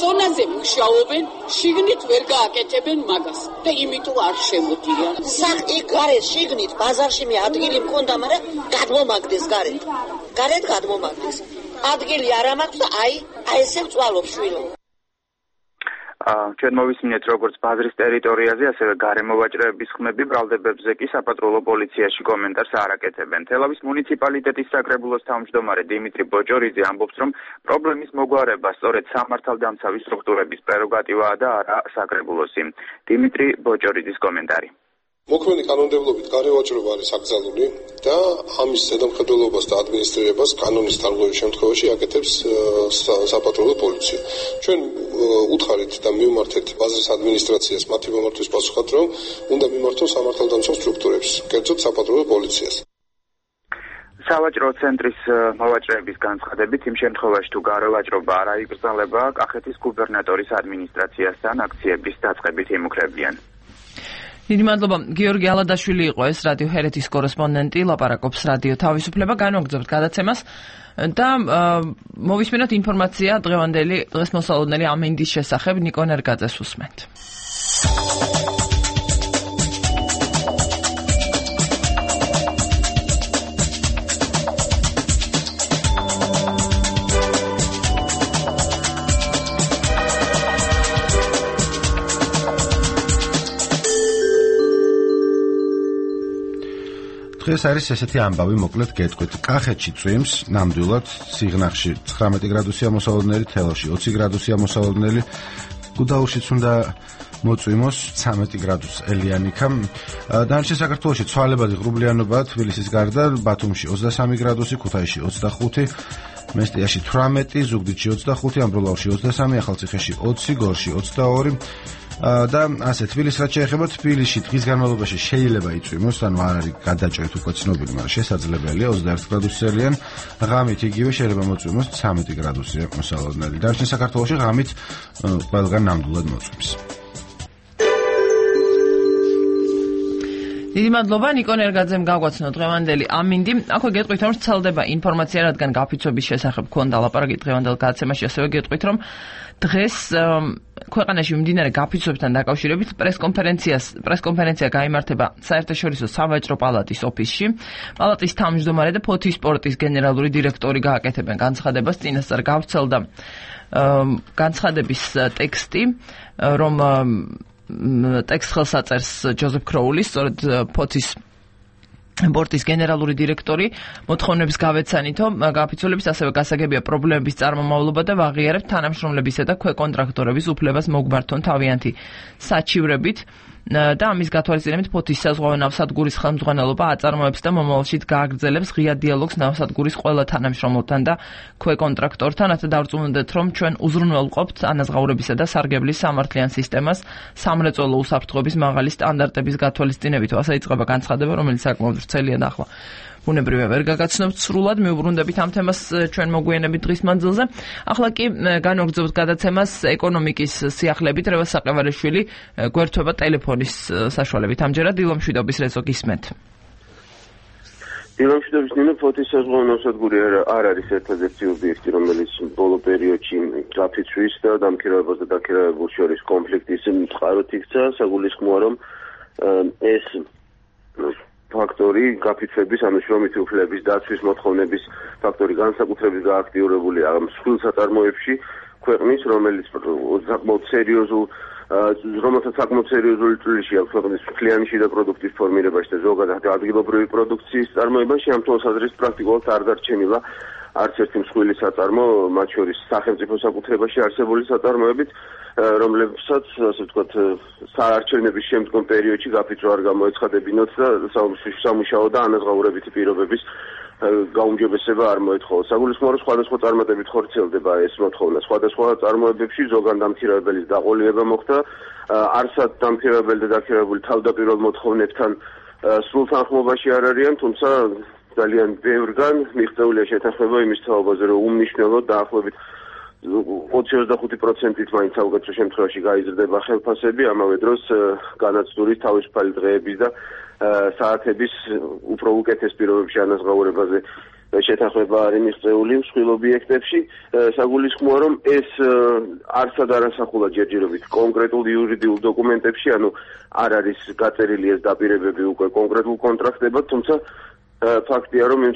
ზონაზე მუშაობენ, შიგნით ვერ გააკეთებენ მაგას და იმიტომ არ შემოდიან. საკი გარეთ შიგნით ბაზარში მე ადგილი მქონდა, მაგრამ გადმომაგდეს გარეთ. გარეთ გადმომაგდეს. ადგილი არ მაქვს და აი ესე ვწვალობ შვილო. ჩვენ მოვისმინეთ როგორც ბაზრის ტერიტორიაზე, ასევე გარემო ვაჭრეების ხმები ბრალდებებზე კი საპატრულო პოლიციაში კომენტარს არ აკეთებენ. თელავის მუნიციპალიტეტის საკრებულოს თავმჯდომარე დიმიტრი ბოჭორიძე ამბობს, რომ პრობლემის მოგვარება სწორედ სამართალდამცავი სტრუქტურების პრეროგატივაა და არა საკრებულოსი. დიმიტრი ბოჭორიძის კომენტარი. მოქმედი კანონმდებლობით გარემოვაჭრობა არის აკრძალული და ამის ზედამხედველობას და ადმინისტრირებას კანონის დარღვევის შემთხვევაში აკეთებს საპატრულო პოლიცია. ჩვენ უთხარით და მივმართეთ ბაზრის ადმინისტრაციას მათი მომართვის პასუხად, რომ უნდა მიმართოს სამართალდამცავ სტრუქტურებს, კერძოდ საპატრულო პოლიციას. სავაჭრო ცენტრის მოვაჭრეების განცხადებით, იმ შემთხვევაში თუ გარემოვაჭრობა არ აიგრძნობა, კახეთის გუბერნატორის ადმინისტრაციასთან აქციების დაწყებით იმუქრებიან. დიდი მადლობა. გიორგი ალადაშვილი იყო ეს რადიო ჰერეთის კორესპონდენტი, ლაპარაკობს რადიო თავისუფლება, განვაგრძობთ გადაცემას და მოვისმინოთ ინფორმაცია დღევანდელი დღესმოსალოდნელი ამინდის შესახებ. ნიკო ნერგაძეს უსმენთ. ეს არის ესეთი ამბავი, მოკლედ გეტყვით. კახეთში წვიმს, ნამდვილად, სიღნაღში 19 გრადუსია მოსალოდნელი, თელავში 20 გრადუსია მოსალოდნელი, გუდაურშიც უნდა მოწვიმოს 13 გრადუს ელიანიკა. დანარჩენ საქართველოში ცვალებადი ღრუბლიანობაა, თბილისის გარდა, ბათუმში 23 გრადუსი, ქუთაისში 25, მესტიაში 18, ზუგდიდში 25, ამბროლაურში 23, ახალციხეში 20, გორში 22. და ასე თბილისს რაც შეეხება, თბილისში დღის განმავლობაში შეიძლება იწვიმოს, ანუ არ არის გადაჭრით უკვე ცნობილი, მაგრამ შესაძლებელია 21 გრადუსელიან, ღამით იგივე შეიძლება მოწვიმოს 13 გრადუსია მოსალოდნელი. დანარჩენ საქართველოში ღამით ყველგან ნამდვილად მოწვიმს. დიდი მადლობა ნიკო ნერგაძემ გაგვაცნო დღევანდელი ამინდი. აქვე გეტყვით რომ ვრცელდება ინფორმაცია, რადგან გაფიცვების შესახებ ქონდა ლაპარაკი დღევანდელ გადაცემაში, ასევე გეტყვით რომ დღეს ქვეყანაში მიმდინარე გაფიცვებთან დაკავშირებით პრესკონფერენცია გაიმართება საერთაშორისო სავაჭრო პალატის ოფისში. პალატის თავმჯდომარე და ფოთის სპორტის გენერალური დირექტორი გააკეთებენ განცხადებას. წინასწარ გავრცელდა განცხადების ტექსტი, რომ ტექსტს ხელს აწერს ჯოზეფ კროულის, სწორედ ფოთის სპორტის გენერალური დირექტორი. მოთხოვნების გავეცანითო გაფიცვლების, ასევე გასაგებია პრობლემების წარმომავლობა და ვაღიარებთ თანამშრომლებისა და ქვეკონტრაქტორების უფლებას მოგმართონ თავიანთი საჩივრებით. და ამის გათვალისწინებით ფოთის საზღვაო ნავსადგურის ხელმძღვანელობა აწარმოებს და მომავალში გააგრძელებს ღია დიალოგს ნავსადგურის ყველა თანამშრომელთან და ქვეკონტრაქტორთან. ასე დავწუნდეთ, რომ ჩვენ უზრუნველყოფთ ანაზღაურებისა და სარგებლის სამართლიან სისტემას სამრეწველო უსაფრთხოების მაღალი სტანდარტების გათვალისწინებით. ასე იწყება განცხადება, რომელიც საკმაოდ ვრცელია და ახლა ბუნებრივია ვერ გაგაცნობთ სრულად, მივუბრუნდებით ამ თემას ჩვენ მოგვიანებით დღის მანძილზე. ახლა კი განვაგრძობთ გადაცემას ეკონომიკის სიახლებით. რევას საყევარიშვილი გვერდება ტელეფონის საშუალებით. ამჯერად დილომშვიდობის რეზო გისმენთ. დილომშვიდობის ნინო, ფოთის საზღვაო ნავსადგური არ არის ერთადერთი ობიექტი, რომელიც ბოლო პერიოდში გაფიცვის და დამქირავებას და დაქირავებულს შორის კონფლიქტის წყაროდ იქცა. საგულისხმოა, რომ ეს ფაქტორი გაფიცვების, ანუ შრომითი უფლებების დაცვის მოთხოვნების ფაქტორი განსაკუთრებით გააქტიურებულია მსხვილ საწარმოებში ქვეყნის, რომელსაც საკმაოდ სერიოზული წვლილი აქვს ქვეყნის მთლიანი შიდა პროდუქტის ფორმირებაში და ზოგადად ადგილობრივი პროდუქციის წარმოებაში. ამ თვალსაზრისით პრაქტიკულად არ დარჩენილა არც ერთი მსხვილი საწარმო, მათ შორის სახელმწიფო საკუთრებაში არსებული საწარმოებით, რომლებსაც, ასე ვთქვათ, საარჩევნების შემდგომ პერიოდში გაფიცვა არ გამოეცხადებინოთ და სამუშაო და ანაზღაურებითი პირობების გაუმჯობესება არ მოეთხოვა. საგულისხმოა, რომ სხვადასხვა წარმატებით ხორციელდება ეს მოთხოვნა. სხვადასხვა წარმოებებში ზოგან დამქირავებელის დაყოლება მოხდა, არსად დამქირავებელი და დაქირავებული თავდაპირველ მოთხოვნებთან სრულ თანხმობაში არ არიან, თუმცა ძალიან ბევრგან მიღწეულია შეთანხმება იმის თაობაზე, რომ უმნიშვნელოდ დაახლოებით 20-25%-ით მაინც საუკეთესო შემთხვევაში გაიზრდება ხელფასები, ამავე დროს განაცდურის თავისუფალი დღეების და საათების უფრო უკეთეს პირობებში ანაზღაურებაზე შეთანხმება არის მიღწეული მსხვილ ობიექტებში. საგულისხმოა, რომ ეს არცად არ ასახულა ჯერჯერობით კონკრეტულ იურიდიულ დოკუმენტებში, ანუ არ არის გაწერილი ეს დაპირებები უკვე კონკრეტულ კონტრაქტებად, თუმცა ფაქტია, რომ იმ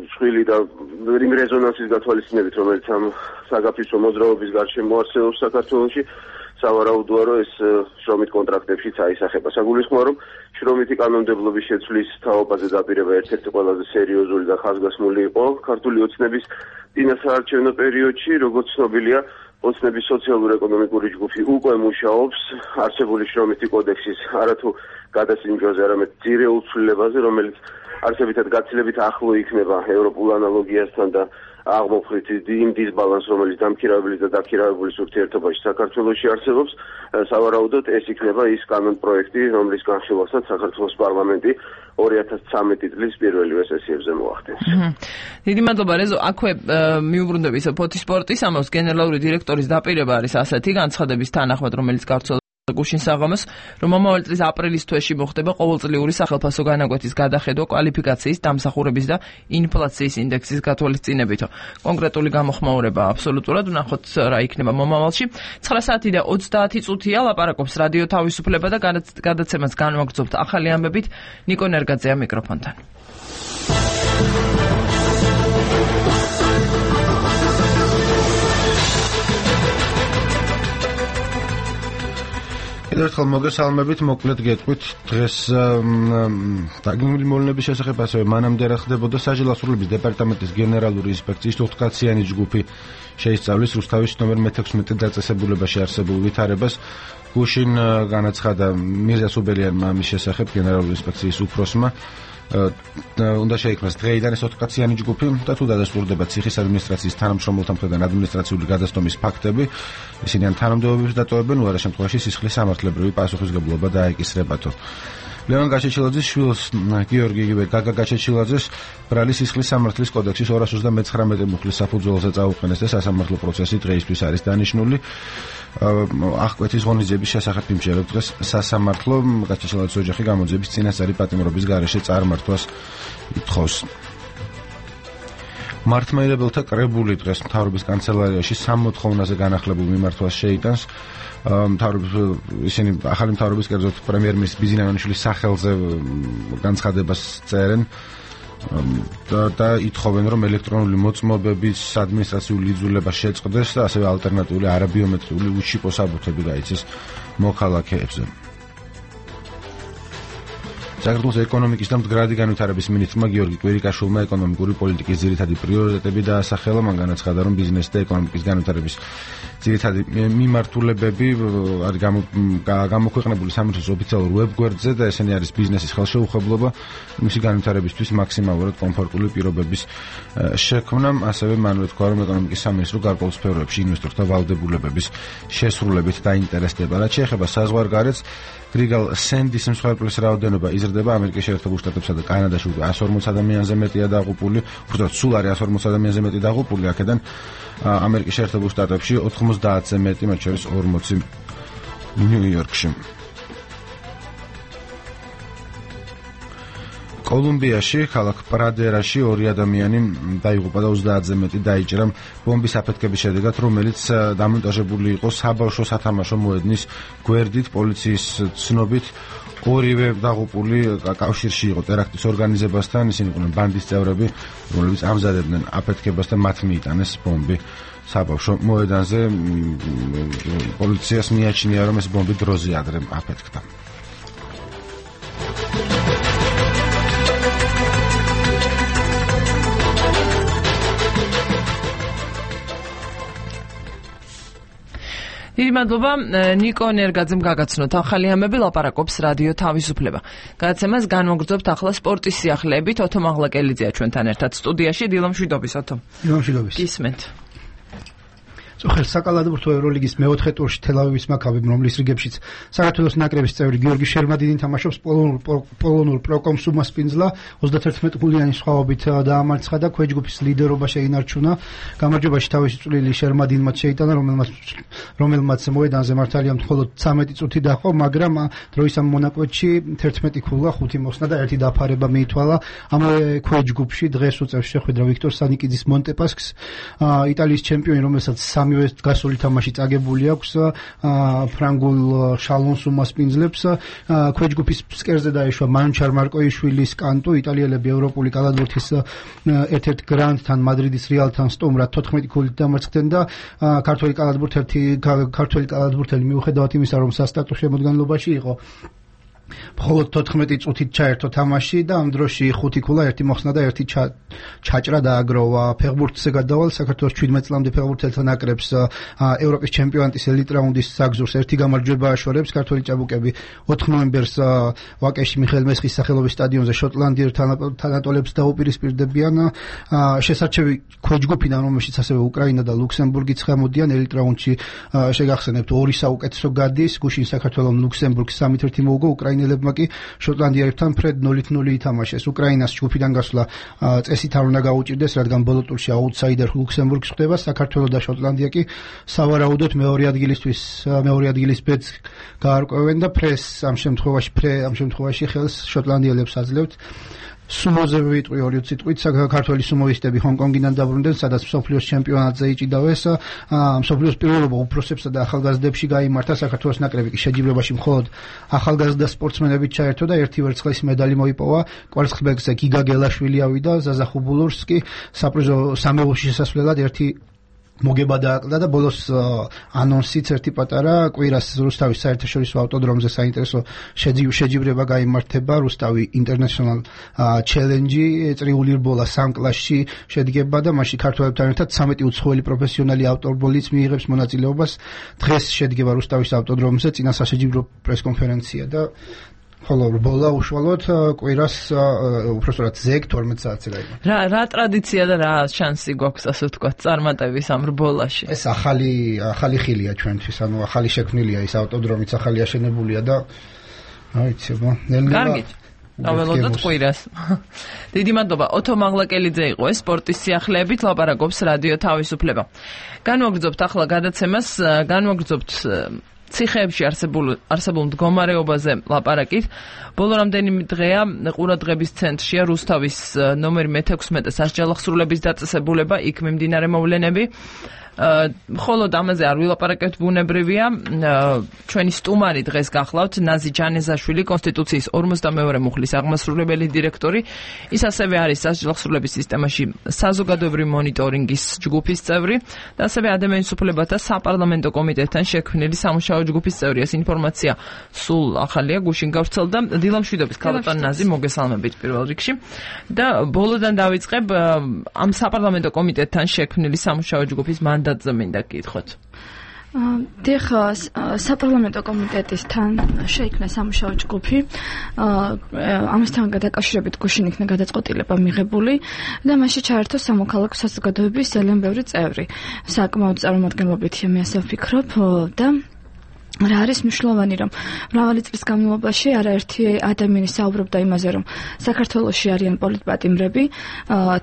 მსხვილი და იმ რეზონანსის გათვალისწინებით, რომელიც ამ საგაფიცვო მოძრაობის გარშემო არსებობს საქართველოში, სავარაუდოა, რომ ეს შრომით კონტრაქტებშიც აისახება. საგულისხმოა, რომ შრომითი კანონმდებლობის შეცვლის თაობაზე დაპირება ერთ-ერთი ყველაზე სერიოზული და ხაზგასმული იყო ქართული ოცნების წინასაარჩევნო პერიოდში, როგორც ცნობილია, ოცნების სოციალურ-ეკონომიკური ჯგუფი უკვე მუშაობს არსებული შრომითი კოდექსის არათუ გადასინჯვაზე, არამედ ძირეულ ცვლილებაზე, რომელიც არსებითად გაცილებით ახლო იქნება ევროპულ ანალოგიასთან და აღმოფხვრით იმ დისბალანსს, რომელიც დამქირავებლის და დაქირავებულის ურთიერთობაში საქართველოში არსებობს, სავარაუდოდ ეს იქნება ის კანონპროექტი, რომლის განხილვასაც საქართველოს პარლამენტი 2013 წლის პირველივე სესიებზე მოახდენს. დიდი მადლობა რეზო, აქვე მიუბრუნდები ფოთის სპორტის ამბავს, გენერალური დირექტორის დაპირება არის ასეთი განცხადების თანახმად, რომელიც გავრცელდა გუშინ საღამოს, რომ მომავალ წლის აპრილის თვეში მოხდება ყოველწლიური სახელმწიფო განაკვეთის გადახედვა კვალიფიკაციის, დამსახურების და ინფლაციის ინდექსის გათვალისწინებითო. კონკრეტული გამოხმაურება აბსოლუტურად ვნახოთ რა იქნება მომავალში. 9 საათი და 30 წუთია ლაპარაკობს რადიო თავისუფლება და გადაცემას განვაგრძობთ ახალი ამბებით. ნიკო ნერგაძეა მიკროფონთან. ერთხელ მოგესალმებით, მოკლედ გეტყვით დღეს დაგეგმილი მოვლენების შესახებ, ასევე მანამდე რა ხდებოდა. საჯელოსნობის დეპარტამენტის გენერალური ინსპექციის 4-კაციანი ჯგუფი შეისწავლის რუსთავის ნომერ 16 დაწესებულებაში არსებულ ვითარებას. გუშინ განაცხადა მირზა სუბელიანმა ამის შესახებ გენერალური ინსპექციის უფროსმა. უნდა შეიქმნას დღეიდან ეს 4-კაციანი ჯგუფი და თუ დადასტურდება ციხის ადმინისტრაციის თანამშრომელთა მხრიდან ადმინისტრაციული გადასტომის ფაქტები, ისინი ან თანამდებობებს დატოვებენ, უარა შემთხვევაში სისხლის სამართლებრივი პასუხისმგებლობა დაეკისრებათო. ლევან გაჩეჩილაძის შვილს გიორგი გაგა გაჩეჩილაძეს ბრალი სისხლის სამართლის კოდექსის 239 მუხლის საფუძველზე წაუყენეს და სასამართლო პროცესი დღეისთვის არის დანიშნული. აღკვეთის ღონისძიების შესახებ იმჟერებს დღეს სასამართლო გაჩეჩილაძის ოჯახი გამოძიების წინასწარი პატიმრობის გარეშე წარმართვას ითხოვს. მართლმადიდებელთა კრებული დღეს მთავრობის კანცელარიაში 60 განახლებულ მიმართვას შეიტანს. ისინი ახალი მთავრობის კერძოდ პრემიერ-მინისტრის ბიზინანიშვილის სახელზე განცხადებას წერენ და ითხოვენ, რომ ელექტრონული მოწმობების ადმინისტრაციული იძულება შეწყდეს და ასევე ალტერნატიული არაბიომეტრიული უშიპო საბუთები გაიცეს მოქალაქეებზე. საქართველოს ეკონომიკის და მდგრადი განვითარების მინისტრმა გიორგი კვირიკაშვილმა ეკონომიკური პოლიტიკის ძირითადი პრიორიტეტები დაასახელა. მან განაცხადა, რომ ბიზნესი და ეკონომიკის განვითარების ძირითადი მიმართულებები არის გამოქვეყნებული სამინისტროს ოფიციალურ ვებგვერდზე და ესენი არის ბიზნესის ხელშეუხებლობა, მისი განვითარებისთვის მაქსიმალურად კომფორტული პირობების შექმნა. ასევე მან ვთქვა, რომ ეკონომიკის სამინისტრო გარკვეულ სფეროებში ინვესტორთა ვალდებულებების შესრულებით დაინტერესდება. რაც შეეხება საზღვარგარეთს, გრიგალ სენდის მსხვერპლის რაოდენობა იზრდება. ამერიკის შეერთებულ შტატებსა და კანადაში 140 ადამიანზე მეტია დაღუპული, უბრალოდ სულ არის 140 ადამიანზე მეტი დაღუპული. აქედან ამერიკის შეერთებულ შტატებში 90-ზე მეტი, მათ შორის 40 ნიუ-იორკში. კოლუმბიაში, ქალაქ პრადერაში 2 ადამიანი დაიღუპა და 30-ზე მეტი დაიჭრა ბომბის აფეთქების შედეგად, რომელიც დამონტაჟებული იყო საბავშვო სათამაშო მოედნის გვერდით. პოლიციის ცნობით ორივე დაღუპული კავშირში იყო ტერაქტის ორგანიზებასთან. ისინი იყვნენ ბანდის წევრები, რომლებიც ამზადებდნენ აფეთქებას და მათ მიიტანეს ბომბი საბავშვო მოედანზე. პოლიციას მიაჩნია, რომ ეს ბომბი დროზე ადრე აფეთქდა. დიდი მადლობა ნიკო ნერგაძემ გაგაცნოთ ახალი ამბები, ლაპარაკობს რადიო თავისუფლება. გადაცემას განვაგრძობთ ახლა სპორტის სიახლეებით. ოთო მაღლაკელიძეა ჩვენთან ერთად სტუდიაში. დილამშვიდობის ოთო. დილამშვიდობის. გისმენთ. წოხელ საკალათბურთო ევროლიგის მეოთხე ტურში თელ-ავივის მაქაბიმ, რომლის რიგებშიც საქართველოს ნაკრების წევრი გიორგი შერმადინი თამაშობს, პოლონურ პროკომს უმასპინძლა 31 გოლიანი სხვაობით დაამარცხა და ქვეჯგუფის ლიდერობა შეინარჩუნა. გამარჯვებაში თავისი წვლილი შერმადინმა შეიტანა, რომელმაც მოედანზე მართალია მხოლოდ 13 წუთი დაჰყო, მაგრამ დროის ამ მონაკვეთში 11 ქულა, 5 მოხსნა და 1 დაფარება მიითვალა. ამავე ქვეჯგუფში დღეს უწევს შეხვედრა ვიქტორ სანიკიძის მონტეპასკს, იტალიის ჩემპიონი, რომელსაც სამივე გასული თამაში წაგებული აქვს, ფრანგულ შალონს უმასპინძლებს. ქვეჯგუფის ფსკერზე დაეშვა მანჩარ მარკოიშვილის კანტუ, იტალიელები ევროპული კალათბურთის ერთ-ერთ გრანდთან მადრიდის რეალთან სტუმრად 14 ქულით დამარცხდნენ და ქართველი კალათბურთელი მიუხედავად იმისა, რომ სასტარტო შემოდგენილობაში იყო, მხოლოდ 14 წუთით ჩაერთო თამაში და ამ დროში 5 ქულა, 1 მოხსნა და 1 ჩაჭრა დააგროვა. ფეხბურთზე გადავალ საქართველოს 17 წლამდე ფეხბურთელთა ნაკრებს ევროპის ჩემპიონატის ელიტ რაუნდის საგზურს 1 გამარჯვება აშორებს. ქართველი ჭაბუკები 4 ნოემბერს ვაკეში მიხეილ მესხის სახელობის სტადიონზე შოტლანდიელ თანატოლებს დაუპირისპირდებიან. შესარჩევი ქვეჯგუფიდან, რომელშიც ასევე უკრაინა და ლუქსემბურგიც ხემოდიან, ელიტ რაუნდში შეგახსენებთ 2 საუკეთესო გადის, გუშინ საქართველოს ლუქსემბურგს 3-1 მოუგო, უკრაინელებმა კი შოტლანდიელებთან ფრედ 0-0 ითამაშეს. უკრაინას ჯგუფიდან გასვლა წესით არ უნდა გაუჭირდეს, რადგან ბოლო ტურში აუთსაიდერ ლუქსემბურგი ხდება. საქართველო და შოტლანდია კი სავარაუდოდ მეორე ადგილის ბედს გაარკვევენ და ამ შემთხვევაში ხელს შოტლანდიელებს აძლევთ. სუმოზე ვიტყვი 2 სიტყვით, საქართველოს სუმოისტები ჰონკონგიდან დაბრუნდნენ, სადაც მსოფლიოს ჩემპიონატზე იჭიდავეს. მსოფლიოს პირველობა უფროსებსა და ახალგაზრდებში გაიმართა. საქართველოს ნაკრები კი შეჯიბრებაში მხოლოდ ახალგაზრდა სპორტსმენებით ჩაერთო და 1 ვერცხლის медаლი მოიპოვა. კვარცხლბეკზე გიგა გელაშვილი ავიდა, ზაზა ხუბულურს კი საპრიზო სამეულში შესასვლელად 1 მოგება დააკლდა და ბოლოს ანონსიც 1 პატარა კვირას რუსთავის საერთაშორისო ავტოდრომზე საინტერესო შეჯიბრება გაიმართება. რუსთავი ინტერნეშნალ ჩელენჯი წრიული რბოლა 3 კლასში შედგება და მასში ქართველებთან ერთად 13 უცხოელი პროფესიონალი ავტომობილიც მიიღებს მონაწილეობას. დღეს შედგება რუსთავის ავტოდრომზე წინასაშეჯიბრო პრესკონფერენცია და ხოლო რბოლა უშუალოდ კვირას უბრალოდ ზეგ 12 საათზე გაიმართა. რა ტრადიცია და რა შანსი გვაქვს, ასე ვთქვათ, წარმატების ამ რბოლაში? ეს ახალი ხილია ჩვენთვის, ანუ ახალი შექმნილია ის ავტოდრომიც, ახალი აშენებულია და აიცი, კარგით. დაველოდოთ ყვირას. დიდი მადლობა. ოთო მაღლაკელიძე იყო ეს სპორტის სიახლეებით ლაპარაკობს რადიო თავისუფლება. განვაგრძობთ ახლა გადაცემას, განვაგრძობთ ციხეებში არსებულ მდგომარეობაზე ლაპარაკით. ბოლო რამდენიმე დღეა ყურადღების ცენტრშია რუსთავის ნომერი მე-16 სასჯელახსრულების დაწესებულება, იქ მიმდინარე მოვლენები. მხოლოდ ამაზე არ ვილაპარაკებთ, ბუნებრივია. ჩვენი სტუმარი დღეს გახლავთ ნაზი ჯანეზაშვილი, კონსტიტუციის 42 მუხლის აღმასრულებელი დირექტორი. ის ასევე არის სასჯელახსრულების სისტემაში საზოგადოებრივი მონიტორინგის ჯგუფის წევრი და ასევე ადამიანის უფლებათა საპარლამენტო კომიტეტთან შექმნილი სამუშაო ჯგუფის წევრი. ეს ინფორმაცია სულ ახალია, გუშინ გავრცელდა. დილამშვიდობის ქალბატონ ნაზი, მოგესალმებით პირველ რიგში. და ბოლოდან დავიწყებ ამ საპარლამენტო კომიტეტთან შექმნილი სამუშაო ჯგუფის მანდატზე მინდა გითხოთ. დიახ, საპარლამენტო კომიტეტისთან შეიქმნა სამუშაო ჯგუფი. ამასთან დაკავშირებით გუშინ იქნა გადაწყვეტილება მიღებული და მასში ჩაერთო სამოქალაქო საზოგადოების ძალიან ბევრი წევრი. საკმაოდ წარმომადგენლობითია, მე ასე ვფიქრობ და რა არის მნიშვნელოვანი, რომ მრავალი წლის განმავლობაში არაერთი ადამიანი საუბრობდა იმაზე, რომ საქართველოში არიან პოლიტპატიმრები,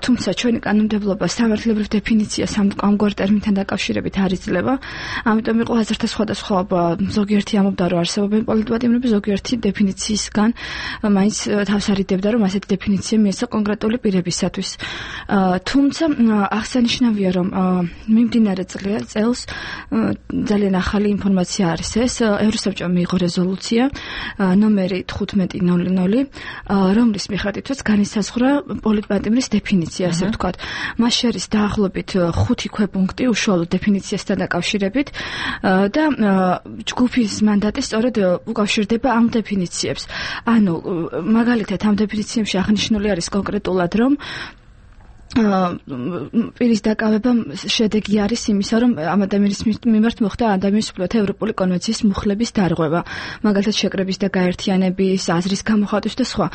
თუმცა ჩვენი კანონმდებლობა სამართლებრივ დეფინიციას ამგვარ ტერმინთან დაკავშირებით არ იძლევა. ამიტომ იყო აზრთა სხვადასხვაობა. ზოგიერთი ამბობდა, რომ არსებობენ პოლიტპატიმრები, ზოგიერთი დეფინიციისგან მაინც თავს არიდებდა, რომ ასეთი დეფინიცია მიეცა კონკრეტული პირებისათვის. თუმცა აღსანიშნავია, რომ მიმდინარე წელს ძალიან ახალი ინფორმაცია არის. ევროსაბჭომ მიიღო რეზოლუცია ნომერი 1500, რომლის მიხედვითაც განისაზღვრა პოლიტპატიმრის დეფინიცია, ასე ვთქვათ. მას შორის დაახლოებით 5 ქვეპუნქტი უშუალო დეფინიციასთან დაკავშირებით და ჯგუფის მანდატი სწორედ უკავშირდება ამ დეფინიციებს. ანუ მაგალითად ამ დეფინიციებში აღნიშნული არის კონკრეტულად, რომ პირის დაკავება შედეგი არის იმისა, რომ ამ ადამიანის მიმართ მოხდა ადამიანის უფლებათა ევროპული კონვენციის მუხლების დარღვევა, მაგალითად შეკრების და გაერთიანების, აზრის გამოხატვის და სხვა.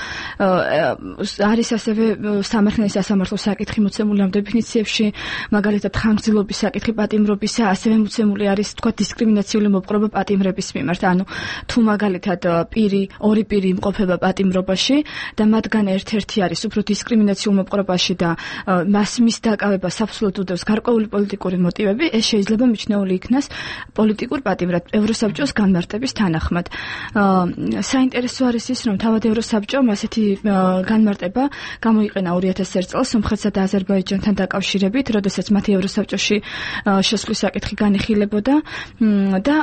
არის ასევე სამართლის სასამართლო საკითხი მოცემული ამ დეფინიციებში, მაგალითად ხანგრძლივობის საკითხი პატიმრობისა, ასევე მოცემული არის თქვა დისკრიმინაციული მოპყრობა პატიმრების მიმართ, ანუ თუ მაგალითად ორი პირი იმყოფება პატიმრობაში და მათგან ერთ-ერთი არის უფრო დისკრიმინაციულ მოპყრობაში და მის დაკავება საფუძვლად უდევს გარკვეული პოლიტიკური მოტივები, ეს შეიძლება მიჩნეული იქნას პოლიტიკურ პატიმრად ევროსაბჭოს განმარტების თანახმად. საინტერესო არის ის, რომ თავად ევროსაბჭომ ასეთი განმარტება გამოიყენა 2001 წელს სომხეთსა და აზერბაიჯანთან დაკავშირებით, როდესაც მათი ევროსაბჭოში შესვლის საკითხი განიხილებოდა და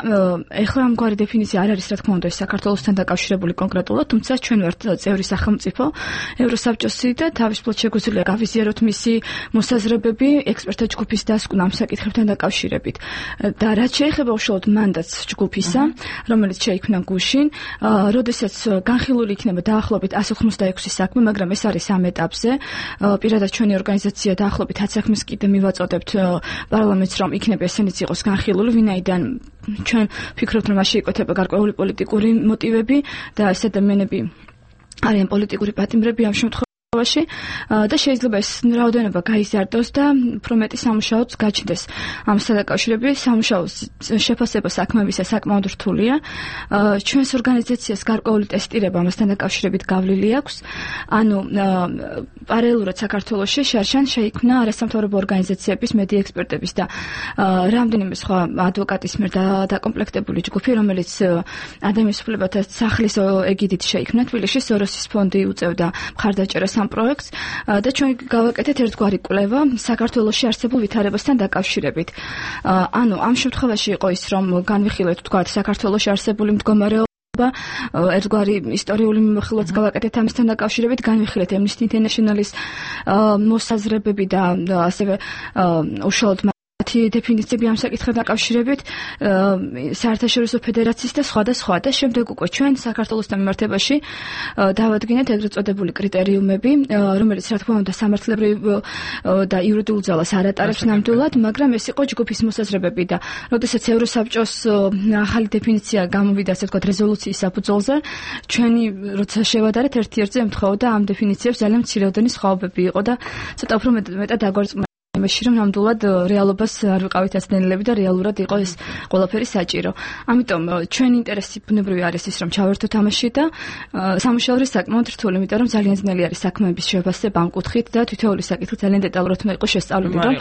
ეხლა ამგვარი დეფინიცია არ არის, რა თქმა უნდა, საქართველოსთან დაკავშირებული კონკრეტულად, თუმცა ჩვენ ვართ წევრი სახელმწიფო ევროსაბჭოსი და თავისუფლად შეგვიძლია გავიზიაროთ მისი მოსაზრებები ექსპერტთა ჯგუფის დასკვნა ამ საკითხებთან დაკავშირებით. და რაც შეეხება უშუალოდ მანდატს ჯგუფისა, რომელიც შეიქმნა გუშინ, როდესაც განხილული იქნება დაახლოებით 186 საქმე, მაგრამ ეს არის ამ ეტაპზე. პირადად ჩვენი ორგანიზაცია დაახლოებით 10 საქმეს კიდე მივაწოდებთ პარლამენტს, რომ იქნება ესენიც იყოს განხილული, ვინაიდან ჩვენ ვფიქრობთ, რომ მასში იკვეთება გარკვეული პოლიტიკური მოტივები და ეს ადამიანები არიან პოლიტიკური პატიმრები ამ შემთხვევაში. და შეიძლება ეს რაოდენობა გაიზარდოს და უფრო მეტი სამუშაოც გაჩნდეს. ამასთან დაკავშირებით სამუშაოს შეფასება საქმეებისა საკმაოდ რთულია. ჩვენს ორგანიზაციას გარკვეული ტესტირება ამასთან დაკავშირებით გავლილი აქვს. ანუ პარალელურად საქართველოში შარშან შეიქმნა არასამთავრობო ორგანიზაციების, მედია ექსპერტების და რამდენიმე სხვა ადვოკატის მიერ დაკომპლექტებული ჯგუფი, რომელიც ადამიანის უფლებათა სახლის ეგიდით შეიქმნა თბილისში, სოროსის ფონდი უწევდა მხარდაჭერას ამ პროექტს და ჩვენ გავაკეთეთ ერთგვარი კვლევა საქართველოში არსებულ ვითარებასთან დაკავშირებით. ანუ ამ შემთხვევაში იყო ის, რომ განვიხილეთ თქვათ საქართველოში არსებული მდგომარეობა, ერთგვარი ისტორიული მიმოხილვაც გავაკეთეთ ამასთან დაკავშირებით, განვიხილეთ Amnesty International-ის მოსაზრებები და ასევე უშუალოდ დეფინიციები ამ საკითხთან დაკავშირებით საერთაშორისო ფედერაციის და სხვა და შემდეგ უკვე ჩვენ საქართველოსთან მიმართებაში დავადგინეთ ეგრეთ წოდებული კრიტერიუმები, რომელიც რა თქმა უნდა სამართლებრივ და იურიდიულ ძალას არ ატარებს ნამდვილად, მაგრამ ეს იყო ჯგუფის მოსაზრებები და როდესაც ევროსაბჭოს ახალი დეფინიცია გამოვიდა, ასე ვთქვათ, რეზოლუციის საფუძველზე, ჩვენი როცა შევადარეთ ერთ-ერთზე ემთხვეოდა ამ დეფინიციებს ძალიან მცირეოდენი სხვაობები იყო და ცოტა უფრო მეტად დაგვარწმუნა იმაში, რომ ნამდვილად რეალობას არ ვიყავით აცნელები და რეალურად იყო ეს ყველაფერი საჭირო. ამიტომ ჩვენი ინტერესი ბუნებრივი არის ის, რომ ჩავერთოთ ამაში და სამუშაო არის საკმაოდ რთული, იმიტომ რომ ძალიან ძნელი არის საქმეების შეფასება ამ კუთხით და თითოეული საკითხი ძალიან დეტალურად უნდა იყოს შესწავლილი, რომ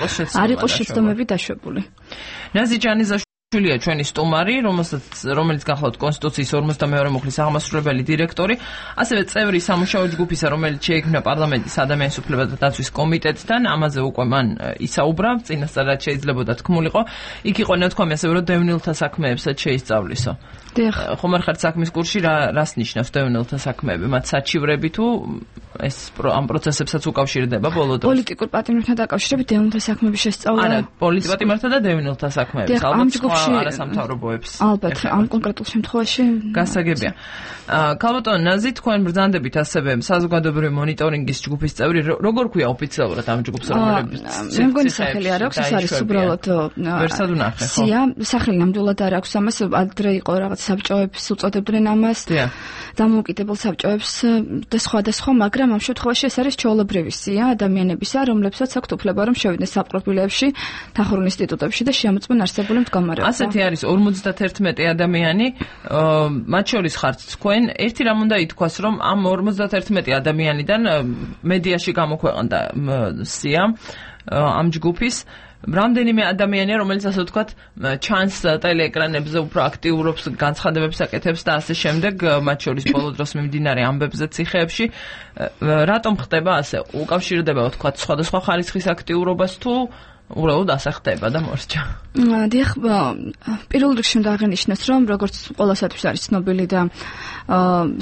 არ იყოს შეცდომები დაშვებული. ნაზი ჯანიზაშვილია ჩვენი სტუმარი, რომელიც გახლავთ კონსტიტუციის 52 მუხლის აღმასრულებელი დირექტორი, ასევე წევრი სამუშაო ჯგუფისა, რომელიც შეიქმნა პარლამენტის ადამიანის უფლებათა დაცვის კომიტეტთან, ამაზე უკვე მან ისაუბრა, წინასწარ რაც შეიძლებოდა თქმულიყო. იქ იყო ნათქვამი ასევე, რომ დევნილთა საქმეებსაც შეისწავლისო. ხომ არ ხართ საქმის კურსში, რას ნიშნავს დევნილთა საქმეები? მათ საჩივრები თუ ეს ამ პროცესებსაც უკავშირდება ბოლო დროს? პოლიტიკურ პატიმრებთან დაკავშირებით დევნილთა საქმეების შესწავლა. არა, პოლიტიკურ პატიმრებთან და დევნილთა საქმეების, ალბათ სხვა არასამთავრობოებს. ალბათ, ამ კონკრეტულ შემთხვევაში გასაგებია. ქალბატონ ნაზი, თქვენ ბრძანდებით ასევე საზოგადოებრივი მონიტორინგის ჯგუფის წევრი, როგორ ქვია ოფიციალურად ამ ჯგუფს, რომელიც მე მგონი სახელი არ აქვს, ეს არის უბრალოდ ვერსად უნახე, ხო? სახელი ნამდვილად არ აქვს ამას, ადრე იყო რაღაც საბჭოებს უწოდებდნენ ამას. დამოუკიდებელ საბჭოებს და სხვა, მაგრამ ამ შემთხვევაში ეს არის ჩვეულებრივი სია ადამიანებისა, რომლებსაც აქვთ უფლება რომ შევიდნენ საპყრობილეებში, დახურულ ინსტიტუტებში და შეამოწმონ არსებული მდგომარეობა. ასეთი არის 51 ადამიანი, მათ შორის ხართ თქვენ. ერთი რამ უნდა ითქვას, რომ ამ 51 ადამიანიდან მედიაში გამოქვეყნდა სია ამ ჯგუფის რამდენიმე ადამიანია, რომელიც ასე ვთქვათ, ჩანს ტელეეკრანებზე, უფრო აქტიურობს, განცხადებებს აკეთებს და ასე შემდეგ, მათ შორის ბოლო დროს მიმდინარე ამბებზე ციხეებში. რატომ ხდება ასე? უკავშირდება, ვთქვათ, სხვადასხვა ხარისხის აქტიურობას თუ უბრალოდ ასე ხდება და მორჩა. დიახ, პირველ რიგში უნდა აღინიშნოს, რომ როგორც ყველასათვის არის ცნობილი და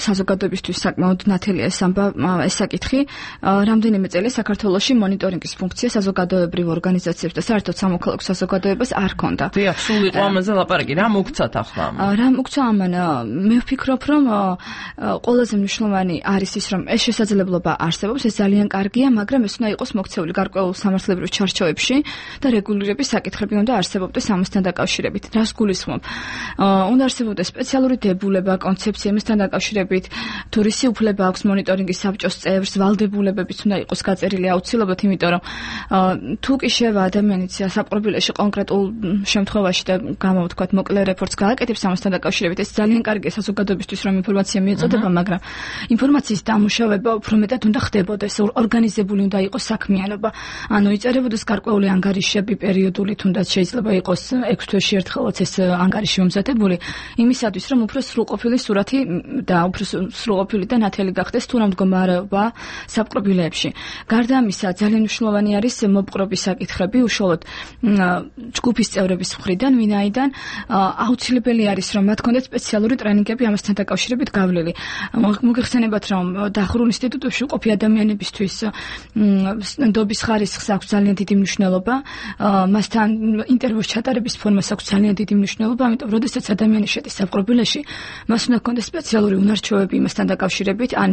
საზოგადოებისთვის საკმაოდ ნათელია ეს საკითხი, რამდენიმე წელი საქართველოში მონიტორინგის ფუნქცია საზოგადოებრივ ორგანიზაციებს და საერთოდ სამოქალაქო საზოგადოებას არ ჰქონდა. დიახ, სულ იყო ამაზე ლაპარაკი, რა მოგცათ ახლა? რა მოგცა ამან? მე ვფიქრობ, რომ ყველაზე მნიშვნელოვანი არის ის, რომ ეს შესაძლებლობა არსებობს, ეს ძალიან კარგია, მაგრამ ეს უნდა იყოს მოქცეული გარკვეულ სამართლებრივ ჩარჩოებში და რეგულირების საკითხები უნდა არსებობდეს ამასთან დაკავშირებით. რას გულისხმობ? უნდა არსებობდეს სპეციალური დებულება, კონცეფცია ამასთან დაკავშირებით, თუ რისი უფლება აქვს მონიტორინგის საბჭოს წევრს, ვალდებულებებიც უნდა იყოს გაწერილი აუცილებლად, იმიტომ რომ თუ კი შევა ადამიანიც საპყრობილეში კონკრეტულ შემთხვევაში და გამოვთქვათ მოკლე რეპორტს გააკეთებს ამასთან დაკავშირებით, ეს ძალიან კარგია საზოგადოებისთვის, რომ ინფორმაცია მიეწოდება, მაგრამ ინფორმაციის დამუშავება უფრო მეტად უნდა ხდებოდეს, ორგანიზებული უნდა იყოს საქმიანობა. ანუ იწერებოდეს გარკვეული ანგარიშები პერიოდული, თუნდაც შეიძლება იყოს 6 თვეში ერთხელაც ეს ანგარიში მომზადებული, იმისათვის, რომ უფრო სრულყოფილი სურათი და უფრო სრულყოფილი და ნათელი გახდეს თუ რა მდგომარეობა საპყრობილეებში. გარდა ამისა, ძალიან მნიშვნელოვანი არის მოპყრობის საკითხები, უშუალოდ ჯგუფის წევრების მხრიდან, ვინაიდან აუცილებელი არის, რომ მათ ჰქონდეთ სპეციალური ტრენინგები ამასთან დაკავშირებით გავლილი. მოგეხსენებათ, რომ დახურულ ინსტიტუტებში მყოფი ადამიანებისთვის ნდობის ხარისხს აქვს ძალიან დიდი მნიშვნელობა, მასთან ინტერვიუს ჩატარების ფორმას აქვს ძალიან დიდი მნიშვნელობა, ამიტომ როდესაც ადამიანი შედის საპყრობილეში, მას უნდა ჰქონდეს სპეციალური უნარჩვევები იმასთან დაკავშირებით, ან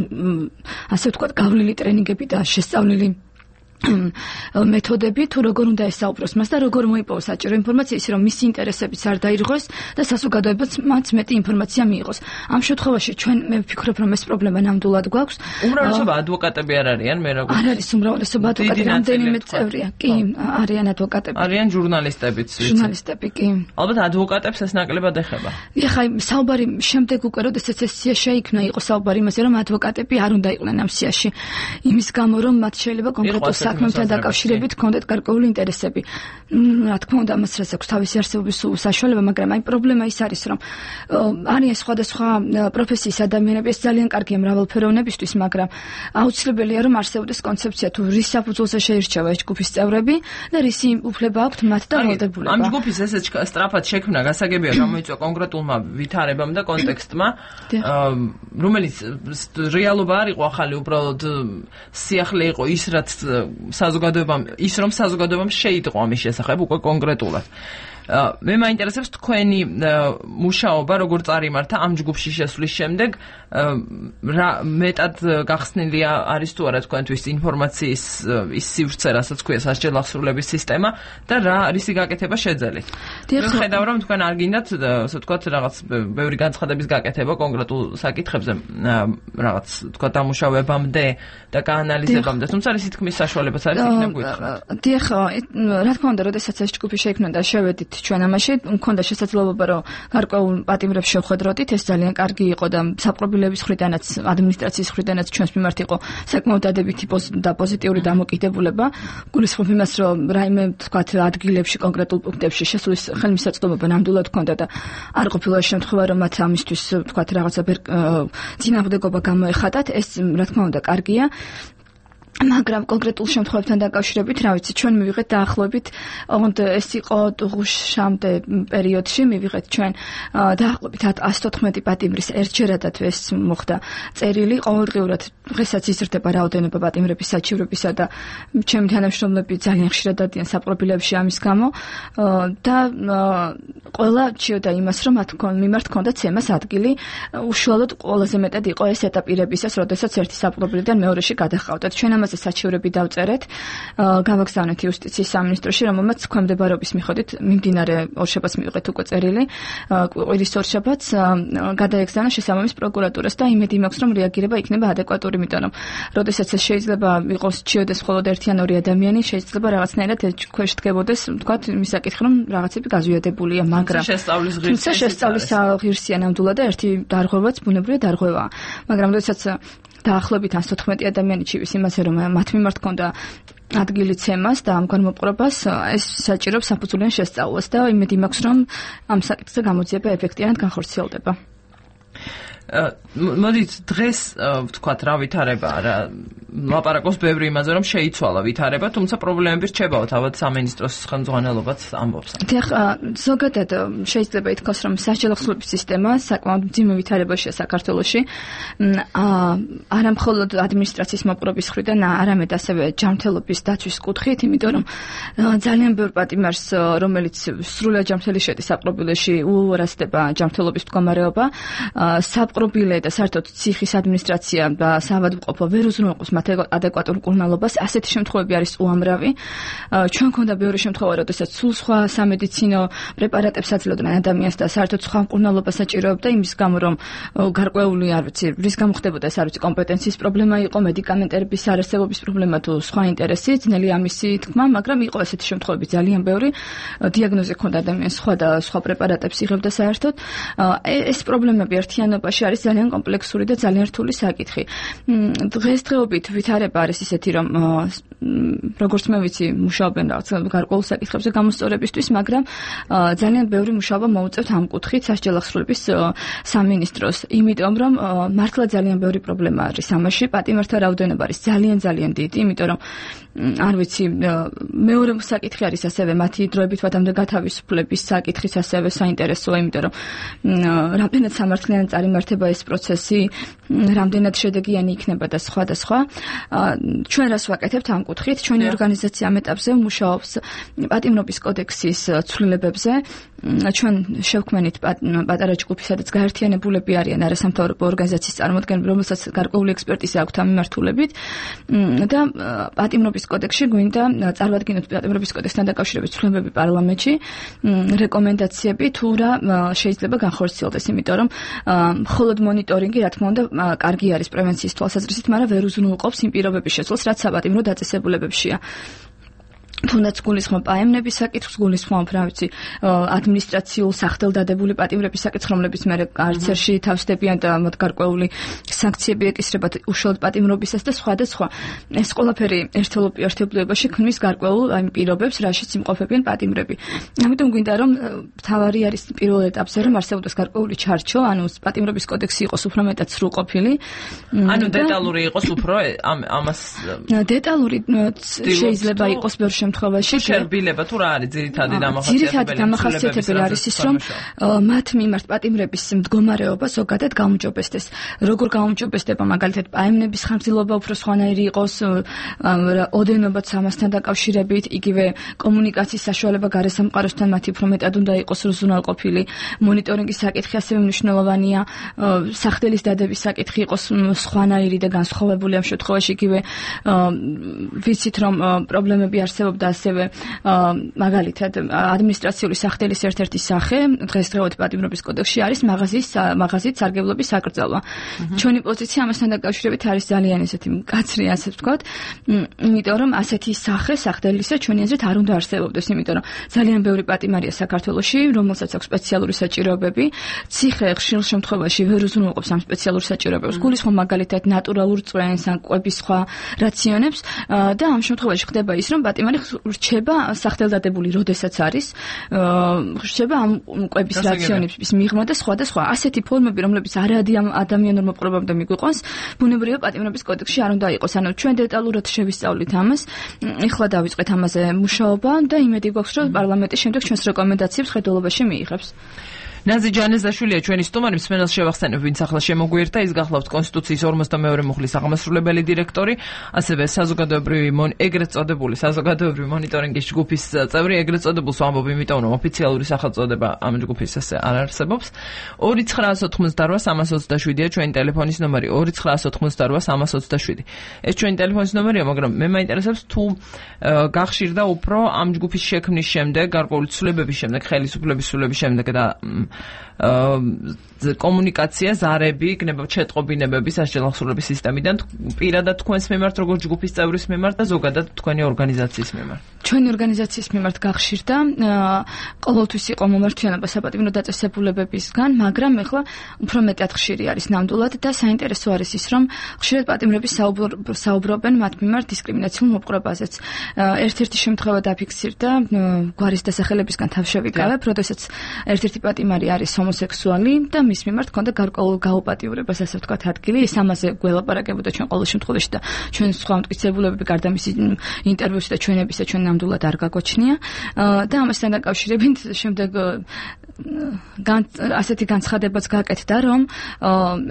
ასე ვთქვათ, გავლილი ტრენინგები და შესწავლილი მეთოდები, თუ როგორ უნდა ესაუბროს მას და როგორ მოიპოვოს საჭირო ინფორმაცია, ისე რომ მისი ინტერესებიც არ დაირღვეს და საზოგადოებაც მათ მეტი ინფორმაცია მიიღოს. ამ შემთხვევაში ჩვენ მე ვფიქრობ, რომ ეს პრობლემა ნამდვილად გვაქვს. უმრავლესობა ადვოკატები არ არიან, მე როგორ არ არის უმრავლესობა ადვოკატები, რამდენიმე წევრია. კი, არიან ადვოკატები. არიან ჟურნალისტებიც, ვიცი. ჟურნალისტები, კი. ალბათ ადვოკატებს ეს ნაკლებად ეხება. ეხლა საუბარი შემდეგ უკვე როდესაც ეს სია შეიქმნა, იყო საუბარი იმაზე, რომ ადვოკატები არ უნდა იყვნენ ამ სიაში. იმის გამო, რომ მათ შეიძლება კონკრეტულ საქმემთან დაკავშირებით ჰქონდეთ გარკვეული ინტერესები. რა თქმა უნდა, მას რაც აქვს თავისი არსებობის საშუალება, მაგრამ აი პრობლემა ის არის, რომ არიან სხვადასხვა პროფესიის ადამიანები, ეს ძალიან კარგია მრავალფეროვნებისთვის, მაგრამ აუცილებელია, რომ არსებობდეს კონცეფცია, თუ რის საფუძველზე შეირჩევა ეს ჯგუფის წევრები და რისი უფლება აქვთ მათ და ვალდებულება. ამ ჯგუფის ესეც სწრაფად შექმნა გასაგებია, გამოიწვია კონკრეტულმა ვითარებამ და კონტექსტმა, რომელიც რეალობა არ იყო ახალი, უბრალოდ სიახლე იყო ის, რაც საზოგადოებამ, ის რომ საზოგადოებამ შეიტყო ამის შესახებ უკვე კონკრეტულად. მე მაინტერესებს თქვენი მუშაობა, როგორ წარიმართა ამ ჯგუფში შესვლის შემდეგ, რა მეტად გახსნილია არის თუ არა თქვენთვის ინფორმაციის ის სივრცე, რასაც ქვია სასჯელ აღსრულების სისტემა და რა რისი გაკეთება შეძელით. მე ხედავ, რომ თქვენ არ გინდათ, ასე ვთქვათ, რაღაც ბევრი განცხადების გაკეთება კონკრეტულ საკითხებზე, რაღაც ვთქვათ, დამუშავებამდე და გაანალიზებამდე, თუმცა რისი თქმის საშუალებაც არის იქნებ გითხრათ. დიახ, რა თქმა უნდა, როდესაც ეს ჯგუფი შეიქმნა და შევედით ჩვენ ამაში, მქონდა შესაძლებლობა, რომ გარკვეულ პატიმრებს შევხვედროდით, ეს ძალიან კარგი იყო და საპყრობილეების მხრიდანაც, ადმინისტრაციის მხრიდანაც ჩვენს მიმართ იყო საკმაოდ დადებითი და პოზიტიური დამოკიდებულება. გულისხმობ იმას, რომ რაიმე თქვათ ადგილებში, კონკრეტულ პუნქტებში შესვლის ხელმისაწვდომობა ნამდვილად ჰქონდა და არ ყოფილა შემთხვევა, რომ მათ ამისთვის თქვათ რაღაცა წინააღმდეგობა გამოეხატათ, ეს რა თქმა უნდა კარგია. მაგრამ კონკრეტულ შემთხვევებთან დაკავშირებით, რა ვიცი, ჩვენ მივიღეთ დაახლოებით, ოღონდ ეს იყო ღუშამდე პერიოდში, მივიღეთ ჩვენ დაახლოებით 114 პატიმრის ერთჯერადად ეს მოხდა წერილი, ყოველდღიურად დღესაც იზრდება რაოდენობა პატიმრების საჩივრებისა და ჩემი თანამშრომლები ძალიან ხშირად დადიან საპყრობილეებში ამის გამო და ყველა ჭიოდა იმას, რომ მათ მიმართ ჰქონდათ ცემას ადგილი, უშუალოდ ყველაზე მეტად იყო ეს ეტაპირებისას, როდესაც ერთი საპყრობილედან მეორეში გადაჰყავდათ. ჩვენ ამაზე საჩივრები დავწერეთ, გავაგზავნეთ იუსტიციის სამინისტროში, რომელმაც ქვემდებარობის მიხედვით მიმდინარე ორშაბათს მივიღეთ უკვე წერილი, კვირის ორშაბათს გადაეგზავნა შესაბამის პროკურატურას და იმედი მაქვს, რომ რეაგირება იქნება ადეკვატური, იმიტომ რომ როდესაც ეს შეიძლება იყოს ჭიოდეს მხოლოდ ერთი ან ორი ადამიანი, შეიძლება რაღაცნაირად ქვეშ დგებოდეს, ვთქვათ, იმის საკითხი, რომ რაღაცები გაზვიადებულია, მაგრამ თუმცა შესწავლის ღირსია ნამდვილად და ერთი დარღვევაც ბუნებრივი დარღვევაა. მაგრამ როდესაც დაახლოებით 114 ადამიანი ჩივის იმაზე, რომ მათ მიმართ ჰქონდა ადგილი ცემას და ამგვარ მოპყრობას, ეს საჭიროებს საფუძვლიან შესწავლას და იმედი მაქვს, რომ ამ საკითხზე გამოძიება ეფექტიანად განხორციელდება. მოდით დღეს ვთქვათ რა ვითარებაა რა ლაპარაკობს ბევრი იმაზე რომ შეიცვალა ვითარება, თუმცა პრობლემები რჩებაო თავად სამინისტროს ხელმძღვანელობაც ამბობს. დიახ, ზოგადად შეიძლება ითქვას რომ სასჯელოხსნების სისტემა საკმაოდ მძიმე ვითარებაშია საქართველოში. არა მხოლოდ ადმინისტრაციის მოპყრობის მხრიდან, არამედ ასევე ჯანმრთელობის დაცვის კუთხით, იმიტომ რომ ძალიან ბევრ პატიმარს, რომელიც სრულად ჯანმრთელი შედის საპყრობილეში, უუარესდება ჯანმრთელობის მდგომარეობა, საპყრობილე და საერთოდ ციხის ადმინისტრაცია და საავადმყოფო ვერ უზრუნველყოფს მათ ადეკვატურ მკურნალობას. ასეთი შემთხვევები არის უამრავი. ჩვენ გვქონდა ბევრი შემთხვევა, როდესაც სულ სხვა სამედიცინო პრეპარატებს აძლევდნენ ადამიანს და საერთოდ სხვა მკურნალობას საჭიროებდა იმის გამო, რომ გარკვეული, არ ვიცი, რის გამო ხდებოდა ეს, არ ვიცი, კომპეტენციის პრობლემა იყო, მედიკამენტების არარსებობის პრობლემა თუ სხვა ინტერესი, ძნელი ამისი თქმა, მაგრამ იყო ესეთი შემთხვევები ძალიან ბევრი. დიაგნოზი ჰქონდა ადამიანს სხვა და სხვა პრეპარატებს იღებდა საერთოდ. ეს პრობლემები ერთიანობაში არის ძალიან კომპლექსური და ძალიან რთული საკითხი. დღესდღეობით ვითარება არის ისეთი, რომ როგორც მე ვიცი, მუშაობენ რაღაც გარკვეულ საკითხებზე გამოსწორებისთვის, მაგრამ ძალიან ბევრი მუშაობა მოუწევთ ამ კუთხით სასჯელოხსნების სამინისტროს, იმიტომ რომ მართლა ძალიან ბევრი პრობლემა არის ამაში, პატიმართა რაოდენობა არის ძალიან დიდი, იმიტომ რომ არ ვიცი, მეორე საკითხი არის ასევე მათი დროებით ვადამდე გათავისუფლების საკითხის ასევე საინტერესოა, იმიტომ რომ რამდენად სამართლიანი წარიმართება ეს პროცესი, რამდენად შედეგიანი იქნება და სხვა და სხვა. ჩვენ რას ვაკეთებთ ამ კუთხით? ჩვენი ორგანიზაცია ამ ეტაპზე მუშაობს პატიმრობის კოდექსის ცვლილებებზე. ჩვენ შევქმნით პატარა ჯგუფი, სადაც გაერთიანებულები არიან არასამთავრობო ორგანიზაციის წარმოადგენლები, რომელსაც გარკვეული ექსპერტიზა აქვთ ამ მიმართულებით და პატიმრობის კოდექსში გვინდა წარვადგინოთ პატიმრობის კოდექსთან დაკავშირებით ცვლილებები პარლამენტში, რეკომენდაციები თუ რა შეიძლება განხორციელდეს, იმიტომ რომ მხოლოდ მონიტორინგი, რა თქმა უნდა, კარგი არის პრევენციის თვალსაზრისით, მაგრამ ვერ უზრუნველყოფს იმ პირობების შეცვლას, რაც საპატიმრო დაწესებულებებშია. თუნდაც გულისხმობ პაემნების საკითხს, გულისხმობ რა ვიცი, ადმინისტრაციულ სახდელდადებული პატიმრების საკითხს, რომლებიც მე არცერში თავსდებიან და მათ გარკვეული სანქციები ეკისრებათ უშუალოდ პატიმრობისას და სხვა და სხვა. ეს ყველაფერი ერთობლიობაში ქმნის გარკვეულ აი პირობებს, რაშიც იმყოფებიან პატიმრები. ამიტომ გვინდა რომ თავარი არის პირველ ეტაპზე რომ არსებობდეს გარკვეული ჩარჩო, ანუ პატიმრობის კოდექსი იყოს უფრო მეტად სრულყოფილი. ანუ დეტალური იყოს უფრო ამას დეტალური შეიძლება იყოს ბევრ შემთხვევაში შერბილება თუ რა არის ძირითადი დამახასიათებელი? ძირითადი დამახასიათებელი არის ის, რომ მათ მიმართ პატიმრების მდგომარეობა ზოგადად გაუმჯობესდეს. როგორ გაუმჯობესდება, მაგალითად, პაემნების ხანგრძლივობა უფრო სხვანაირი იყოს, ოდენობაც ამასთან დაკავშირებით, იგივე კომუნიკაციის საშუალება გარესამყაროსთან მათი უფრო მეტად უნდა იყოს უზრუნველყოფილი. მონიტორინგის საკითხი ასევე მნიშვნელოვანია, სახდელის დადების საკითხი იყოს სხვანაირი და განსხვავებული ამ შემთხვევაში, იგივე ვიცით, რომ პრობლემები არსებობს და ასევე მაგალითად ადმინისტრაციული სახდელის ერთ-ერთი სახე დღესდღეობით პატიმრობის კოდექსში არის მაღაზიის სარგებლობის საკრძალვა. ჩვენი პოზიცია ამასთან დაკავშირებით არის ძალიან ესეთი მკაცრი, ასე ვთქვათ, იმიტომ რომ ასეთი სახე სახდელისა ჩვენი აზრით არ უნდა არსებობდეს, იმიტომ რომ ძალიან ბევრი პატიმარია საქართველოში, რომელსაც აქვს სპეციალური საჭიროებები. ციხე ხშირ შემთხვევაში ვერ უზრუნველყოფს ამ სპეციალურ საჭიროებებს. გულისხმობ მაგალითად ნატურალურ წვენს, ან კვების სხვა რაციონებს და ამ შემთხვევაში ხდება ის, რომ პატიმარი რჩება სახდელდადებული, როდესაც არის, რჩება ამ კვების რაციონების მიღმა და სხვა და სხვა. ასეთი ფორმები, რომლებიც არადი ამ ადამიანურ მოპყრობამდე მიგვიყვანს, ბუნებრივია პატიმრობის კოდექსში არ უნდა იყოს. ანუ ჩვენ დეტალურად შევისწავლით ამას, ეხლა დავიწყეთ ამაზე მუშაობა და იმედი გვაქვს, რომ პარლამენტი შემდეგ ჩვენს რეკომენდაციებს ხედულობაში მიიღებს. ნაზი ჯანეზაშვილია ჩვენი სტუმარი, მსმენელს შევახსენებ, ვინც ახლა შემოგვიერთა, ის გახლავთ კონსტიტუციის 52 მუხლის აღმასრულებელი დირექტორი, ასევე ეგრეთ წოდებული საზოგადოებრივი მონიტორინგის ჯგუფის წევრი, ეგრეთ წოდებულს ვამბობ, იმიტომ რომ ოფიციალური სახელწოდება ამ ჯგუფის ასე არ არსებობს. 2988327-ია ჩვენი ტელეფონის ნომერი, 2988327. ეს ჩვენი ტელეფონის ნომერია, მაგრამ მე მაინტერესებს თუ გახშირდა უფრო ამ ჯგუფის შექმნის შემდეგ, გარკვეული ცვლილებების შემდეგ, ხელისუფლების ცვლილების შემდეგ და კომუნიკაცია, ზარები, იქნება ჩეტყობინებები სასჯელოხსნების სისტემიდან პირადად თქვენს მიმართ, როგორც ჯგუფის წევრის მიმართ და ზოგადად თქვენი ორგანიზაციის მიმართ. ჩვენი ორგანიზაციის მიმართ გახშირდა ყოველთვის იყო მომართვიანობა საპატიმრო დაწესებულებებისგან, მაგრამ ეხლა უფრო მეტად ხშირი არის ნამდვილად და საინტერესო არის ის, რომ ხშირად პატიმრები საუბრობენ მათ მიმართ დისკრიმინაციულ მოპყრობაზეც. ერთ-ერთი შემთხვევა დაფიქსირდა გვარის დასახელებისგან თავშევიკავებ, როდესაც ერთ-ერთი პატიმარი არის ჰომოსექსუალი და მის მიმართ ჰქონდა გარკვეულ გაუპატიურებას, ასე ვთქვათ, ადგილი. ის ამაზე გველაპარაკებოდა ჩვენ ყოველ შემთხვევაში და ჩვენ სხვა მტკიცებულებები გარდა მისი ინტერვიუსი და ჩვენებისა ჩვენ ნამდვილად არ გაგოჩნია და ამასთან დაკავშირებით შემდეგ ასეთი განცხადებაც გააკეთდა, რომ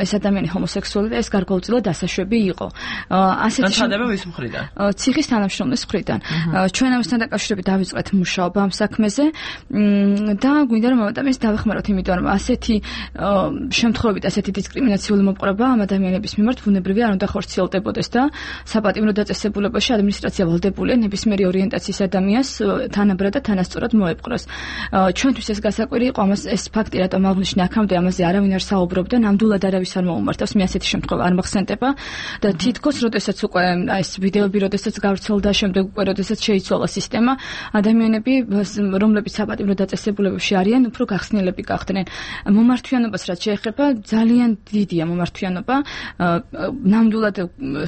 ეს ადამიანი ჰომოსექსუალი და ეს გარკვეულწილად დასაშვები იყო. ასეთი განცხადება ვის მხრიდან? ციხის თანამშრომლის მხრიდან. ჩვენ ამასთან დაკავშირებით დავიწყეთ მუშაობა ამ საქმეზე და გვინდა რომ ამას დავეხმაროთ, იმიტომ რომ ასეთი შემთხვევებით, ასეთი დისკრიმინაციული მოპყრობა ამ ადამიანების მიმართ ბუნებრივია არ უნდა ხორციელდებოდეს და საპატიმრო დაწესებულებაში ადმინისტრაცია ვალდებულია ნებისმიერი ორიენტაციის ადამიანს თანაბრად და თანასწორად მოეპყროს. ჩვენთვის ეს გასაკვირი იყო, ამას ეს ფაქტი რატომ აღნიშნე აქამდე ამაზე არავინ არ საუბრობდა, ნამდვილად არავის არ მოუმართავს, მე ასეთი შემთხვევა არ მახსენდება და თითქოს როდესაც უკვე ეს ვიდეოები როდესაც გავრცელდა, შემდეგ უკვე როდესაც შეიცვალა სისტემა, ადამიანები რომლებიც საპატიმრო დაწესებულებებში არიან, უფრო გახსნილები გახდნენ. მომართვიანობას რაც შეეხება, ძალიან დიდია მომართვიანობა. ნამდვილად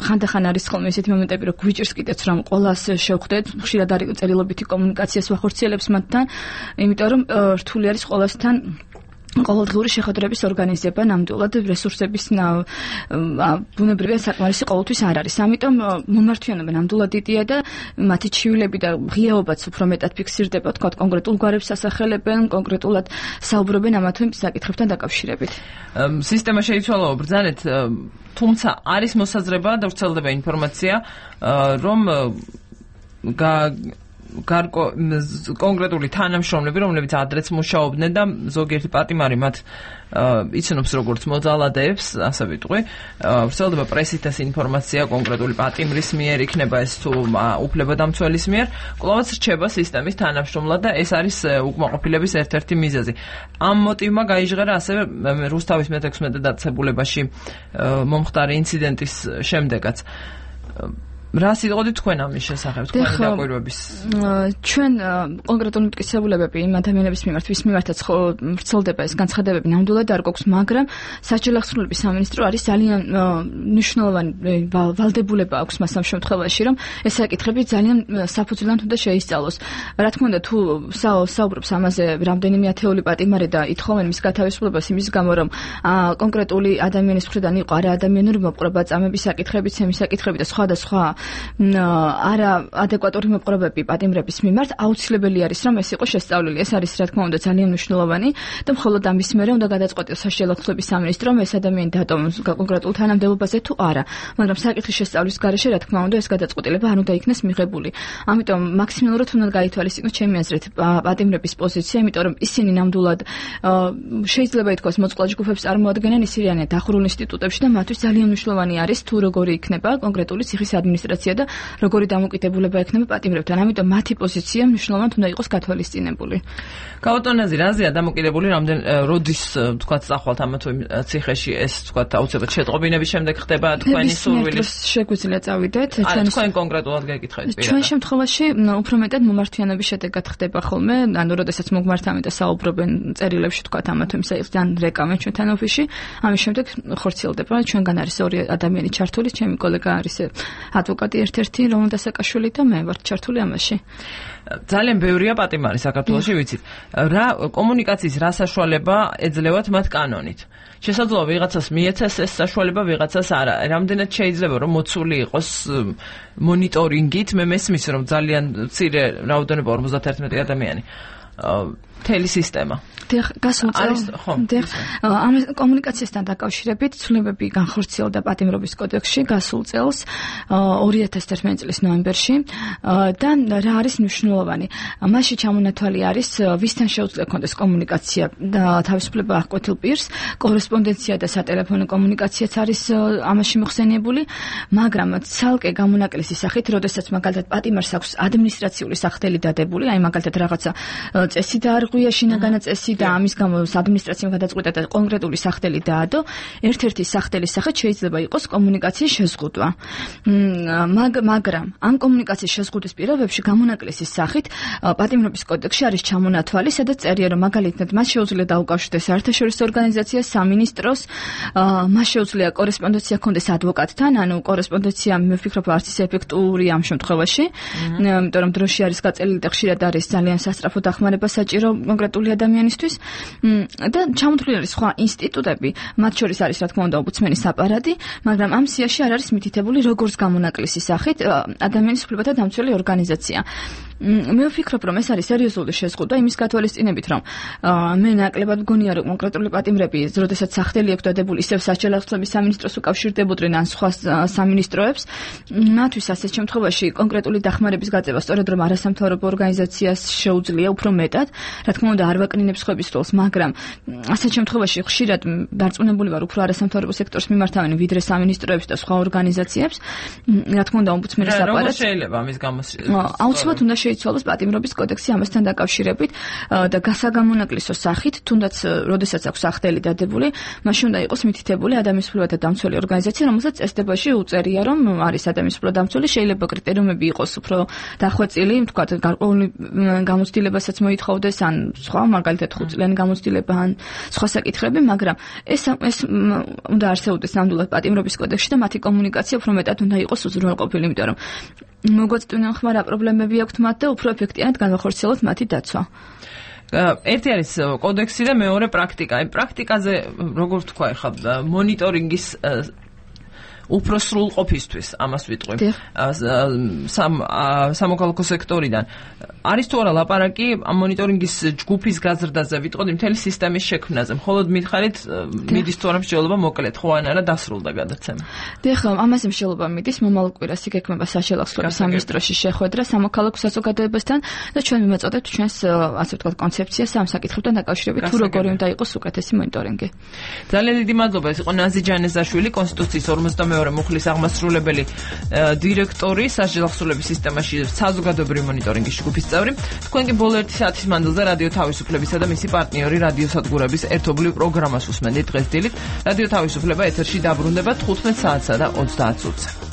ხანდახან არის ხოლმე ესეთი მომენტები, რომ გვიჭირს კიდეც რომ ყველას შევხვდეთ, ხშირად არის წერილობითი კომუნიკაციას ვახორციელებს მათთან, იმიტომ რომ რთული არის ყველასთან ყოველდღიური შეხვედრების ორგანიზება, ნამდვილად რესურსების ბუნებრივია საკმარისი ყოველთვის არ არის. ამიტომ მომართვიანობა ნამდვილად დიდია და მათი ჩივილები და ღიაობაც უფრო მეტად ფიქსირდება, თქვა კონკრეტულ გვარებს ასახელებენ, კონკრეტულად საუბრობენ ამა თუ იმ საკითხებთან დაკავშირებით. სისტემა შეიცვალა ბრძანეთ, თუმცა არის მოსაზრება და ვრცელდება ინფორმაცია, რომ კონკრეტული თანამშრომლები, რომლებიც ადრეც მუშაობდნენ და ზოგიერთი პატიმარი მათ იცნობს როგორც მოძალადეებს, ასე ვიტყვი. ვრცელდება პრესით ეს ინფორმაცია კონკრეტული პატიმრის მიერ, იქნება ეს თუ უფლებადამცველის მიერ, კვლავაც რჩება სისტემის თანამშრომლად და ეს არის უკმაყოფილების ერთ-ერთი მიზეზი. ამ მოტივმა გაიჟღერა ასევე რუსთავის მე-16 დაწესებულებაში მომხდარი ინციდენტის შემდეგაც. რა სიტყვით თქვენ ამის შესახებ, თქვენი დაკვირვების? ჩვენ კონკრეტული მტკიცებულებები იმ ადამიანების მიმართ, ვის მიმართაც ვრცელდება ეს განცხადებები, ნამდვილად არ გვაქვს, მაგრამ საჯარო აღსრულების სამინისტრო არის ძალიან მნიშვნელოვანი ვალდებულება აქვს მას ამ შემთხვევაში, რომ ეს საკითხები ძალიან საფუძვლად უნდა შეისწავლოს. რა თქმა უნდა, თუ საუბრობს ამაზე რამდენიმე ათეული პატიმარი და ითხოვენ მის გათავისუფლებას იმის გამო, რომ კონკრეტული ადამიანის მხრიდან იყო არა ადამიანური მოპყრობა, წამების საკითხებიც, ემის საკითხები და სხვა არა ადეკვატური მოპყრობები პატიმრების მიმართ, აუცილებელი არის რომ ეს იყოს შესწავლილი. ეს არის რა თქმა უნდა ძალიან მნიშვნელოვანი და მხოლოდ ამის მერე უნდა გადაწყვეტოს საშუალო ხსების სამინისტრო, რომ ეს ადამიანი დატოვოს კონკრეტულ თანამდებობაზე თუ არა. მაგრამ საკითხის შესწავლის გარეშე რა თქმა უნდა ეს გადაწყვეტილება არ უნდა იქნეს მიღებული. ამიტომ მაქსიმალურად უნდა გაითვალისწინოს ჩემი აზრით პატიმრების პოზიცია, იმიტომ რომ ისინი ნამდვილად შეიძლება ითქვას მოწყვლად ჯგუფებს წარმოადგენენ, ისინი არიან დახურულ ინსტიტუტებში და მათთვის ძალიან მნიშვნელოვანი არის თუ როგორი იქნება კონკრეტული ციხის ადმინისტრაცია და როგორი დამოკიდებულება ექნება პატიმრებთან. ამიტომ მათი პოზიცია მნიშვნელოვნად უნდა იყოს გათვალისწინებული. კავტონაზი რაზეა დამოკიდებული, როდის თქვათ წახვალთ ამა თუ იმ ციხეში ეს თქვათ აუცილებლად შეტყობინების შემდეგ ხდება თქვენი სურვილის? შეგვიძლია წავიდეთ. თქვენ კონკრეტულად გეკითხეთ პირადად. ჩვენ შემთხვევაში უფრო მეტად მომართვიანობის შედეგად ხდება ხოლმე, ანუ როდესაც მოგმართავენ და საუბრობენ წერილებში თქვათ ამა თუ იმ საკითხთან რეკავენ ჩვენთან ოფისში, ამის შემდეგ ხორციელდება. ჩვენგან არის ორი ადამიანი ჩართული, ჩემი კოლეგა არის ადვოკატი ერთ-ერთი რომან დასაკაშვილი და მე ვარ ჩართული ამაში. ძალიან ბევრია პატიმარი საქართველოში, ვიცით. რა კომუნიკაციის რა საშუალება ეძლევათ მათ კანონით? შესაძლოა ვიღაცას მიეცეს ეს საშუალება, ვიღაცას არა. რამდენად შეიძლება რომ მოცული იყოს მონიტორინგით? მე მესმის რომ ძალიან მცირე რაოდენობა 51 ადამიანი. მთელი სისტემა. გასულ წელს ამ კომუნიკაციასთან დაკავშირებით ცვლილებები განხორციელდა პატიმრობის კოდექსში გასულ წელს 2011 წლის ნოემბერში და რა არის მნიშვნელოვანი? მასში ჩამონათვალი არის ვისთან შეუძლია კონდეს კომუნიკაცია და თავისუფლება აღკვეთილ პირს, კორესპონდენცია და სატელეფონო კომუნიკაციაც არის ამაში მოხსენიებული, მაგრამ ცალკე გამონაკლისის სახით, როდესაც მაგალითად პატიმარს აქვს ადმინისტრაციული სახდელი დადებული, აი მაგალითად რაღაცა წესი დაარღვია გაარღვია შინაგანი წესი და ამის გამო ადმინისტრაციამ გადაწყვიტა და კონკრეტული სახელი დაადო. ერთ-ერთი სახელის სახით შეიძლება იყოს კომუნიკაციის შეზღუდვა. მაგრამ ამ კომუნიკაციის შეზღუდვის პირობებში გამონაკლისის სახით პატიმრობის კოდექსში არის ჩამონათვალი, სადაც წერია, რომ მაგალითად მას შეუძლია დაუკავშირდეს საერთაშორისო ორგანიზაციას, სამინისტროს, მას შეუძლია კორესპონდენცია ჰქონდეს ადვოკატთან, ანუ კორესპონდენცია მე ვფიქრობ არც ის ეფექტური ამ შემთხვევაში, იმიტომ რომ დროში არის გაწელილი და ხშირად არის ძალიან სასწრაფო დახმარება საჭირო კონკრეტული ადამიანისთვის და ჩამოთვლილი არის სხვა ინსტიტუტები, მათ შორის არის რა თქმა უნდა ომბუდსმენის აპარატი, მაგრამ ამ სიაში არ არის მითითებული როგორც გამონაკლისის სახით ადამიანის უფლებათა დამცველი ორგანიზაცია. მე ვფიქრობ, რომ ეს არის სერიოზული შეზღუდვა იმის გათვალისწინებით, რომ მე ნაკლებად მგონია, რომ კონკრეტული პატიმრები, როდესაც სახელი აქვს დადებული ისევ საჯელახსების სამინისტროს უკავშირდებოდნენ ან სხვა სამინისტროებს, მათთვის ასეთ შემთხვევაში კონკრეტული დახმარების გაწევა სწორედ რომ არასამთავრობო ორგანიზაციას შეუძლია უფრო მეტად, რა თქმა უნდა არ ვაკნინებს ხობის როლს, მაგრამ ასეთ შემთხვევაში ხშირად დარწმუნებული ვარ უფრო არასამთავრობო სექტორს მიმართავენ ვიდრე სამინისტროებს და სხვა ორგანიზაციებს, რა თქმა უნდა ომბუდსმენის აპარატს. შეიძლება ამის გამო აუცილებლად უნდა შეიცვალოს პატიმრობის კოდექსი ამასთან დაკავშირებით და გასაგამონაკლისო სახით, თუნდაც როდესაც აქვს სახელი დადებული, მაშინ უნდა იყოს მითითებული ადამიანის უფლებათა დამცველი ორგანიზაცია, რომელსაც წესდებაში უწერია, რომ არის ადამიანის უფლებათა დამცველი, შეიძლება კრიტერიუმები იყოს უფრო დახვეწილი, თქვა გარკვეული გამოცდილებასაც მოითხოვდეს, ან სხვა, მაგალითად 5 წლიანი გამოცდილება ან სხვა საკითხები, მაგრამ ეს უნდა არსებობდეს ნამდვილად პატიმრობის კოდექსში და მათი კომუნიკაცია უფრო მეტად უნდა იყოს უზრუნველყოფილი, იმიტომ რომ მოგვაწვდიდნენ ხმა რა პრობლემები აქვთ მათ და უფრო ეფექტიანად განვახორციელოთ მათი დაცვა. ერთი არის კოდექსი და მეორე პრაქტიკა. აი პრაქტიკაზე როგორ თქვა ახლა მონიტორინგის უფრო სრულ ყოფისთვის ამას ვიტყვი სამოქალაქო სექტორიდან არის თუ არა ლაპარაკი ამ მონიტორინგის ჯგუფის გაზრდაზე ვიტყოდი მთელი სისტემის შექმნაზე მხოლოდ მითხარით მიდის თუ არა მსჯელობა მოკლედ ხო ან არა დასრულდა გადაცემა დიახ ამაზე მსჯელობა მიდის მომავალ კვირას იგეგმება საშელახსრობის სამინისტროში შეხვედრა სამოქალაქო საზოგადოებასთან და ჩვენ მიმაწოდებთ ჩვენს ასე ვთქვათ კონცეფციას ამ საკითხებთან დაკავშირებით თუ როგორი უნდა იყოს უკეთესი მონიტორინგი ძალიან დიდი მადლობა ეს იყო ნაზი ჯანეზაშვილი კონსტიტუციის 52 მუხლის აღმასრულებელი დირექტორი სასჯელახსრობის სისტემაში საზოგადოებრივი მონიტორინგის ჯგუფის წევრი. თქვენ კი ბოლო 1 საათის მანძილზე რადიო თავისუფლებისა და მისი პარტნიორი რადიოსადგურების ერთობლივ პროგრამას უსმენთ დღეს დილით. რადიო თავისუფლება ეთერში დაბრუნდება 15 საათსა და 30 წუთზე.